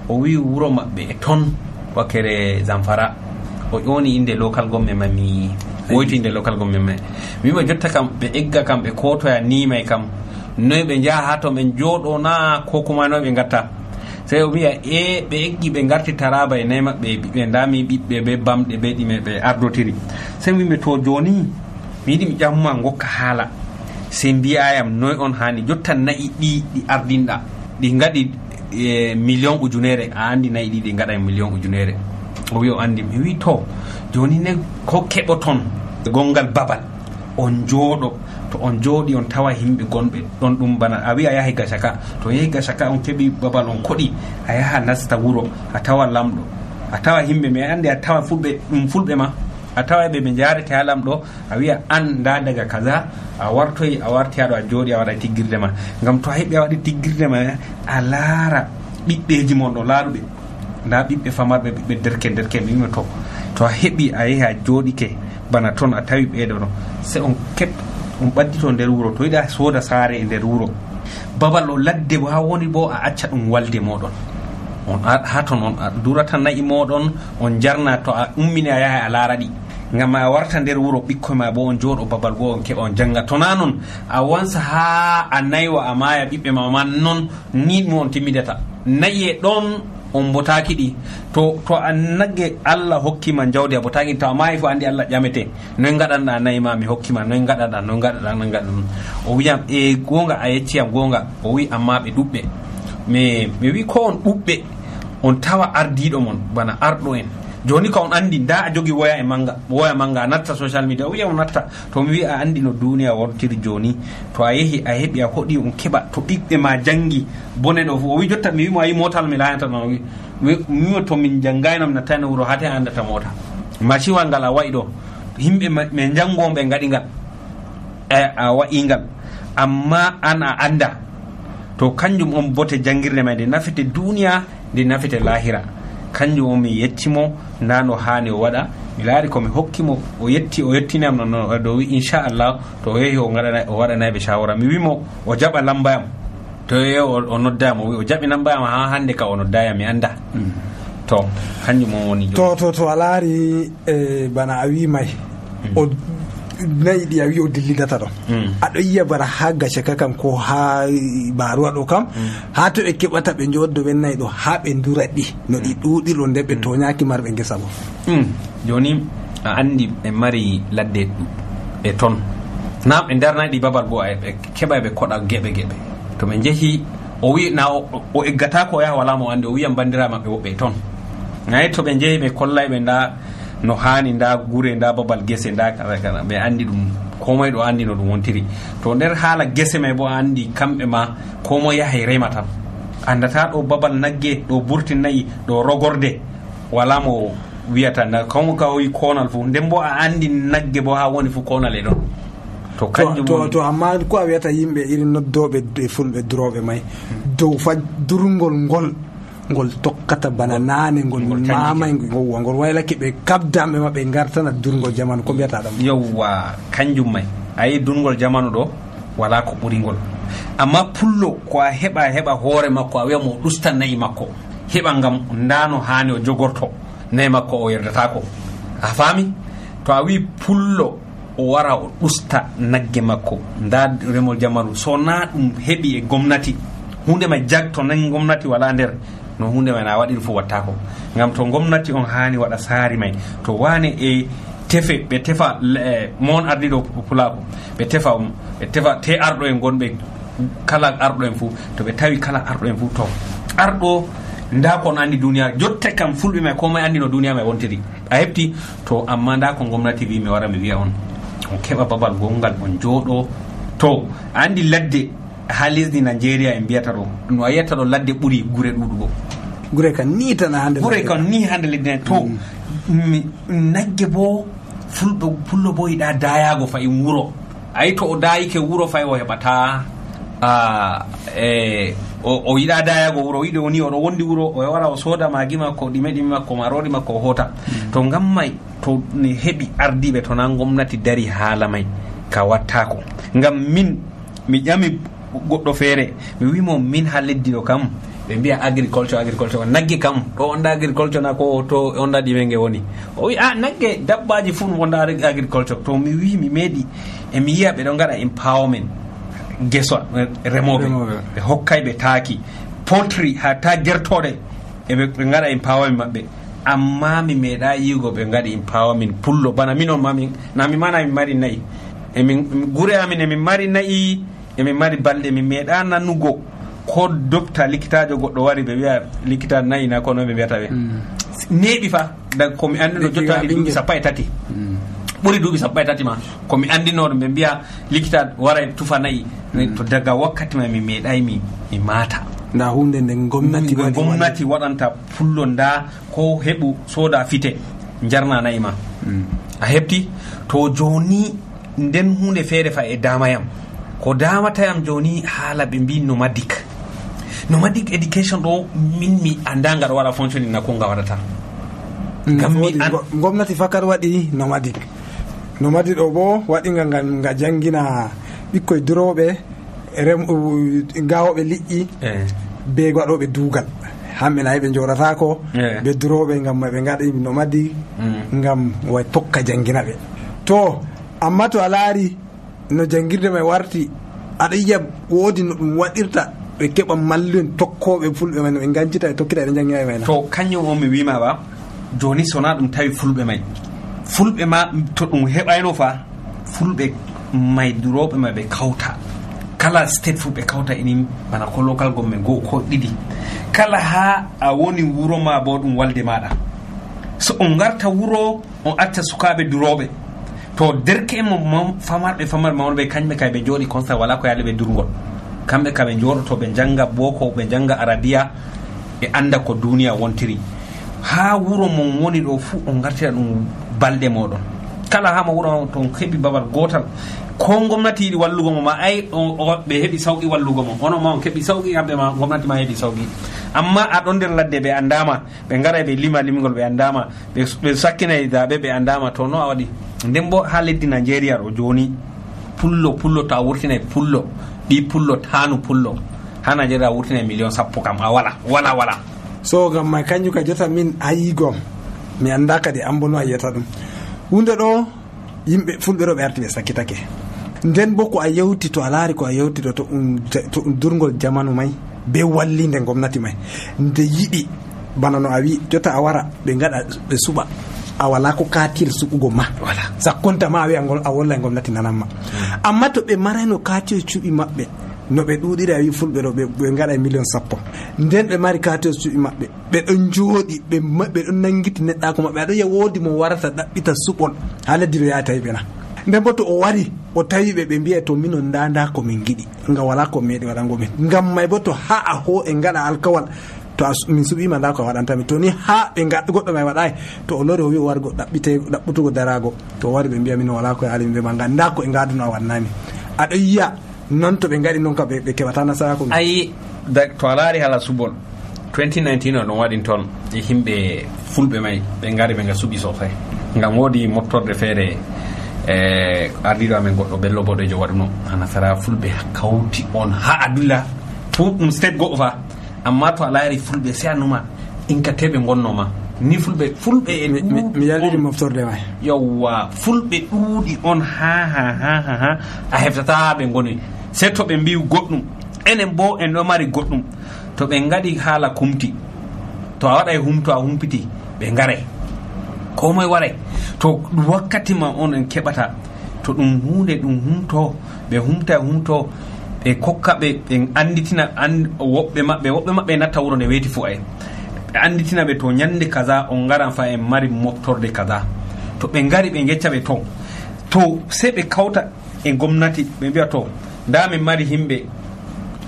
[SPEAKER 9] o wi wuro maɓɓe e ton wakere Zamfara, o ƴoni inde local government ma mi woyti inde local government ma mi wimo jotta kam ɓe egga kam ɓe kotoya nimay kam noy ɓe jaha ha to ɓe jooɗo na ko kuma noy ɓe gatta. sey o wiya e ɓe eggi ɓe garti Taraba e nayi maɓɓe ɓiɓɓe ndami ɓiɓɓe ɓe bamɗe ɓe ɗime ɓe ardotiri. sey wimi to joni mi yiɗi mi ƴammuma gokka haala sey mbiyayam noy on hani jotta nayi ɗi ɗi ardinɗa ɗi gaɗi e million ujunere, a andi nayi ɗi ɗi gaɗa million ujunere. o wi o andi. mi wi to joni ne ko keɓoton gongal babal on jooɗo, to on jooɗi on tawa himɓe gonɓe ɗon ɗum bana a wi a yahi Gashaka, to yehi Gashaka on keɓi babal on koɗi a yaha nasta wuro a tawa lamɗo a tawa himɓe mi andi a tawa fulɓe ɗum fulɓe ma a tawa ɓe ɓe jarete ha lamɗo a wiya an nda daga kaza a wartoyi a warti haɗo a jooɗi a waɗa tiggirde ma, ngam to a heɓi a waɗi tiggirde ma a laara ɓiɓɓeji mon ɗo laaruɓe nda ɓiɓɓe famarɓe ɓiɓɓe derke derke mi wima to to a heɓi a yehi a jooɗike bana toon a tawi ɓeɗo ɗo se on keɓ on ɓaddito nder wuro, to yiɗa sooda saare e nder wuro babal o ladde ha woni bo a acca ɗum walde moɗon on ha toon on a durata nayi moɗon on jarna, to a ummini a yaha a laara ɗi ngam a warta nder wuro ɓikkoy ma bo on jooɗo babal bo on keɓa on janga. to na noon a wansa ha a naywa a maya ɓiɓɓe ma man noon ni ɗum on timmidata nayi e ɗon on botaki ɗi to to a nagge Allah hokkima jawdi a botaki to a mayi fo andi Allah ƴamete noy gaɗanɗa nayi ma mi hokkima noy gaɗaɗa noy gaɗaɗa noy gaɗaɗa o wiyam e gonga a yecciyam gonga o wi amma ɓe ɗuɓɓe mais mi wi ko on ɗuɓɓe on tawa ardiɗo mon bana arɗo en joni ko on andi nda a jogi woya e manga woya manga a natta social media o wiya on natta to mi wi a andi no duniya wontiri joni to a yehi a heɓi a hoɗi on keɓa to ɓiɓɓe ma jangi bone ɗo o wi jotta mi wimo a yi motal mi layanta no wi mi to min janggayno mi nattani wuro hate a andata mota maciwal ngal a wayi ɗo yimɓe ɓe jangoɓe gaɗi ngal e a wayi ngal amma an a anda to kanjum on bote jangirde ma nde nafete duniya nde nafete lahira kanjum on mi yettimo nano hani o waɗa mi laari komi hokkimo o yetti o yettinam no do wi inchallah to o yehi o waɗanayɓe shawara mi wimo o jaɓa lambayam to yehi o noddayam o wi o jaɓi lambayam ha hande ka o noddayam mi anda mm. to kanjum on woni
[SPEAKER 8] to to to a laari e bana a wi may mm. o nayi ɗi a wi o dillidata ɗon mm. aɗo yiya bara ha gace ka kam ko ha baruwa ɗo kam mm. ha to ɓe keɓata ɓe joddo ɓen nayi ɗo ha ɓe dura ɗi no ɗi ɗuɗiro nde ɓe toñaki marɓe gesa bo
[SPEAKER 9] mm. joni a andi ɓe mari ladde ɓe ton na ɓe darnayi ɗi babal goo ɓe keɓa ɓe koɗa geɓe geɓe to ɓe jeehi o wi na o eggata ko o yaha wala mo andi o wiyan bandira maɓɓe woɓɓe ton nayi to ɓe jeehi ɓe kollay ɓe nda no hani nda gure nda babal gese nda kaza kaza ɓe andi ɗum komoye ɗo andi no ɗum wontiri to nder haala gese may bo andi kamɓe ma komoye yahay rema tan andata ɗo babal nagge ɗo burti nayi ɗo rogorde wala mo wiyata na komo ka wi konal fu nden bo a andi nagge bo ha woni fu konal e ɗon to kanjum
[SPEAKER 8] to, to amma ko a wiyata yimɓe irin noddoɓe e fulɓe duroɓe may dow fa durgol ngol ngol tokkata bana nane ngol mamay ngol ngol waylake ɓe kabdamɓe maɓɓe gartana durgol jamanu ko mbiyata ɗam
[SPEAKER 9] yowwa kanjum may ayi durgol jamanu ɗo wala ko ɓuri ngol amma pullo ko a heɓa heɓa hoore makko a wiya mo ɗusta nayi makko heɓa ngam ndano hani o jogorto nayi makko o yerdatako a faami to a wi pullo o wara o ɗusta nagge makko nda remol jamanu so na ɗum heɓi e gomnati hunde may jag to nan gomnati wala nder no hunde may na waɗiri fu wattako ngam to gomnati on hani waɗa saari may to wane e tefe ɓe tefa mon ardiɗo pulako ɓe tefa ɓe tefa te arɗo en gonɓe kala arɗo en fu to ɓe tawi kala arɗo en fu to arɗo nda kon andi duniya jotte kam fulɓe may ko may andi no duniya may wontiri a hefti to amma nda ko gomnati wi mi wara mi wiya on on keɓa babal gongal on jooɗo to andi ladde ha lesdi Nigeria en mbiyata ɗo no a yiyata ɗo ladde ɓuuri gure ɗuɗugo
[SPEAKER 8] gure kan ni tan hande
[SPEAKER 9] gure kan ni hande leddi to mm. nagge bo fulɓe pullo bo yiɗa dayago fayi wuro ayi to o dayike wuro fayi o heɓata a e o yiɗa dayago wuro o yiɗi woni oɗo wondi wuro o wara o sooda magi makko ɗime ɗimi makko marori makko o hota mm. to ngam may to ne heɓi ardiɓe to na gomnati dari haala may ka wattako ngam min mi ƴami goɗɗo feere mi wimo min ha leddi ɗo kam ɓe mbiya agriculture agriculture nagge kam ɗo onda agriculture na ko to onda ɗime nge woni o wi a nagge dabbaji fuu wonda agriculture to mi wi mi meeɗi emi yiya ɓe ɗo gaɗa empowerment geso remoɓe ɓe hokkay ɓe taaki poultry ha ta gertoɗe eɓe gaɗa empowerment maɓɓe amma mi meeɗa yigo ɓe gaɗi empowerment pullo bana minon mami na mi mana mi mari nayi emin gure amin emin mari nayi emin mari balɗe min meeɗa nanugo ko docta likitajo goɗɗo wari ɓe wiya likita nayi na kono ɓe mbiyata ɓe neeɓi fa daga komi andino jottaɗi duuɓi sappo e tati ɓuri duuɓi sappo e tati ma komi andinoɗo ɓe mbiya likita wara tufa nayi to daga wakkati ma mi meeɗay mi mi maata
[SPEAKER 8] nda hunde nde gomnati
[SPEAKER 9] gomnati waɗanta pullo nda ko heɓu sooda fite jarna nayi ma a heɓti to joni nden hunde feere fa e damayam ko damatayam joni haala ɓe mbi nomadic nomadic education ɗo min mi anda ngal waɗa fonctionning na ko nga waɗata
[SPEAKER 8] ngam mi gomnati fakar waɗi nomadic nomadic ɗo bo waɗinga ngam nga jangina ɓikkoye duroɓe rem gawoɓe liƴƴi be waɗoɓe duugal hamɓe nayi ɓe joɗatako ɓe duroɓe ngam ɓe gaɗi nomadic ngam way tokka jangina ɓe to amma to a laari no jangirde may warti aɗa yiya woodi no ɗum waɗirta ɓe keɓa malluen tokkoɓe fulɓe may no ɓe gancita e tokkita eɗe jangina e may
[SPEAKER 9] to kañum on mi wima ba joni sona ɗum tawi fulɓe may fulɓe ma to ɗum heɓayno fa fulɓe may duroɓe may ɓe kawta kala state fu ɓe kawta inin bana ko local government goo ko ɗiɗi kala ha a woni wuro ma bo ɗum walde maɗa so on garta wuro on acca sukaɓe duroɓe to derke en mo famarɓe famarɓe mawɓe kañɓe kay ɓe jooɗi constat wala ko yaali ɓe durgol kamɓe ka ɓe jooɗoto ɓe janga boko ɓe janga arabiya ɓe anda ko duniya wontiri ha wuro mon woni ɗo fuu on gartira ɗum balɗe moɗon kala hama wuro to heɓi babal gotal ko gomnati yiɗi wallugo mo ma ay ɓe heɓi sawqi wallugo mo onon ma on keɓi sawqi kamɓe ma gomnati ma heɓi sawqi amma aɗon nder ladde ɓe andama ɓe garay ɓe lima limgol ɓe andama ɓe sakkinay daɓe ɓe andama to no a waɗi nden bo ha leddi Nigeria ɗo joni pullo pullo to a wurtinay pullo ɗi pullo tanu pullo ha Nigeria a wurtinay million sappo kam a wala wala wala
[SPEAKER 8] so gam may kanjum ka jota min ayigom mi anda kadi an bo no a yiyata ɗum hunde ɗo yimɓe fulɓe ɗo ɓe arti ɓe sakkitake nden bo ko a yewti to a laari ko a yewti ɗo to ɗum durgol jamanu may be wallinde gomnati may nde yiɗi bana no a wi jota a wara ɓe gaɗa ɓe suɓa a wala ko katil suɓugo ma sakkonta ma a wi a wolla e gomnati nananma amma to ɓe marayno katil cuɓi maɓɓe no ɓe ɗuɗiri a wi fulɓe ɗo ɓe gaɗa million sappo nden ɓe mari katil cuɓi maɓɓe ɓe ɗon jooɗi ɓe ɗon nangiti neɗɗako maɓɓe aɗo yiya woodi mo warata ɗaɓɓita suɓol ha leddi ɗo yaha tawi ɓena nden bo to o wari o tawi ɓe ɓe mbiya to minon nda nda ko min giɗi nga wala ko meeɗi waɗango min ngam may bo to ha a ho e gaɗa alkawal to min suɓima nda ko waɗantami to ni ha ɓe gaɗa goɗɗo may waɗay to o lori o wi o wargo ɗaɓɓite ɗaɓɓutugo darago to o wari ɓe mbiya min wala ko e alimi ɓe ma nga nda ko e gaduno a wannami aɗo yiya non to ɓe gaɗi noon ka ɓe keɓata nasarako
[SPEAKER 9] ayi to a laari hala suɓol twenty nineteen o ɗon waɗin toon e yimɓe fulɓe may ɓe gari ɓe nga suɓi sosai ngam woodi moftorde feere e ardiɗo amen goɗɗo bello boɗejo waɗuno ha nasara fulɓe kawti on ha adulla fu ɗum state goɗɗo fa amma to a laari fulɓe se annuma inkateɓe gonnoma ni fulɓe fulɓe e
[SPEAKER 8] mi yaliri moftorde may
[SPEAKER 9] yawwa fulɓe ɗuuɗi on ha ha ha ha ha a heftata ɓe goni se to ɓe mbi goɗɗum enen bo en ɗo mari goɗɗum to ɓe gaɗi haala kumti to a waɗa e humto a humpiti ɓe garay ko moye waray to wakkati ma on en keɓata to ɗum hunde ɗum humto ɓe humta humto ɓe kokka ɓe ɓe anditina and woɓɓe maɓɓe woɓɓe maɓɓe natta wuro nde weeti fo ay ɓe anditina ɓe to ñande kaza on garan fa en mari moftorde kaza to ɓe ngari ɓe gecca ɓe to to se ɓe kawta e gomnati ɓe mbiya to nda min mari himɓe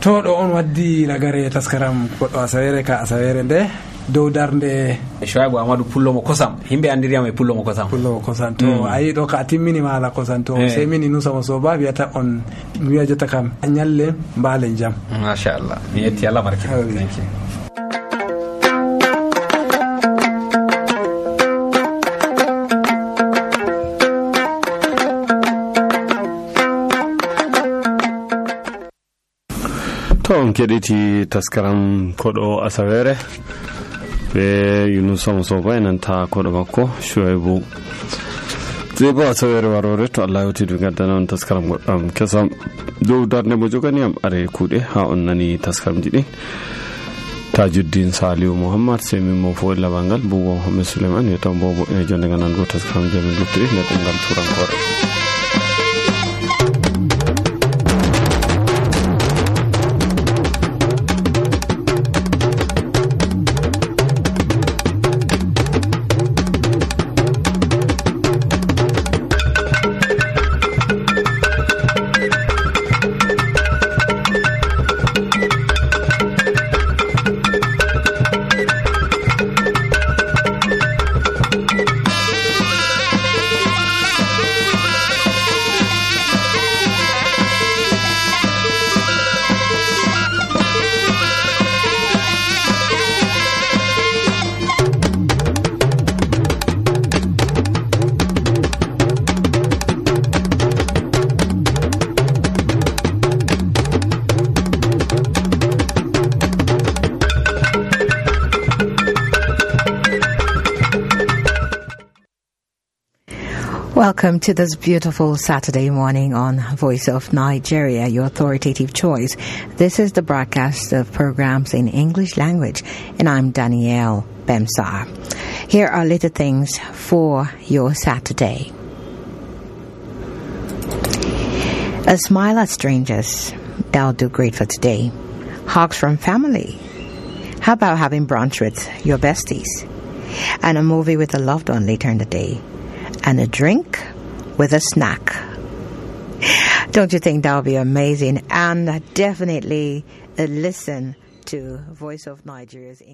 [SPEAKER 8] to ɗo on waddi ragare taskaram goɗɗo asawere ka asawere nde dow darde
[SPEAKER 9] Shoaibou Amadou pullomo kosam himɓe andiriyam e pullomo kosam
[SPEAKER 8] pullomo kosam to mm. ayi ɗo ka a timminima ala kosam to eh. sey min Inusama Soba wiyata on wiya jotta kam a ñalle mbaalen jam
[SPEAKER 9] machallah mi yetti Allah barke thank you.
[SPEAKER 1] to on keɗiti taskaram koɗo asawere be Inusama Soba enanta koɗo makko Shoaibou je bo asawere warore to Allah yewtidu gaddana on taskaram goɗɗam kesam dow darde mo jogani am are kuuɗe ha on nani taskaramji ɗin Tajuddin Saliou Mouhammad sey min mo fo labal ngal Boubou Mohamed Souleymane yo tan bobo e jonde ganan go taskaram jamin luttiri ne ɗemgal turankore.
[SPEAKER 10] Welcome to this beautiful Saturday morning on Voice of Nigeria, your authoritative choice. This is the broadcast of programs in English language, and I'm Danielle Bemsar. Here are little things for your Saturday. A smile at strangers, that'll do great for today. Hugs from family. How about having brunch with your besties? and a movie with a loved one later in the day, and a drink with a snack. Don't you think that would be amazing? And definitely listen to Voice of Nigeria's English.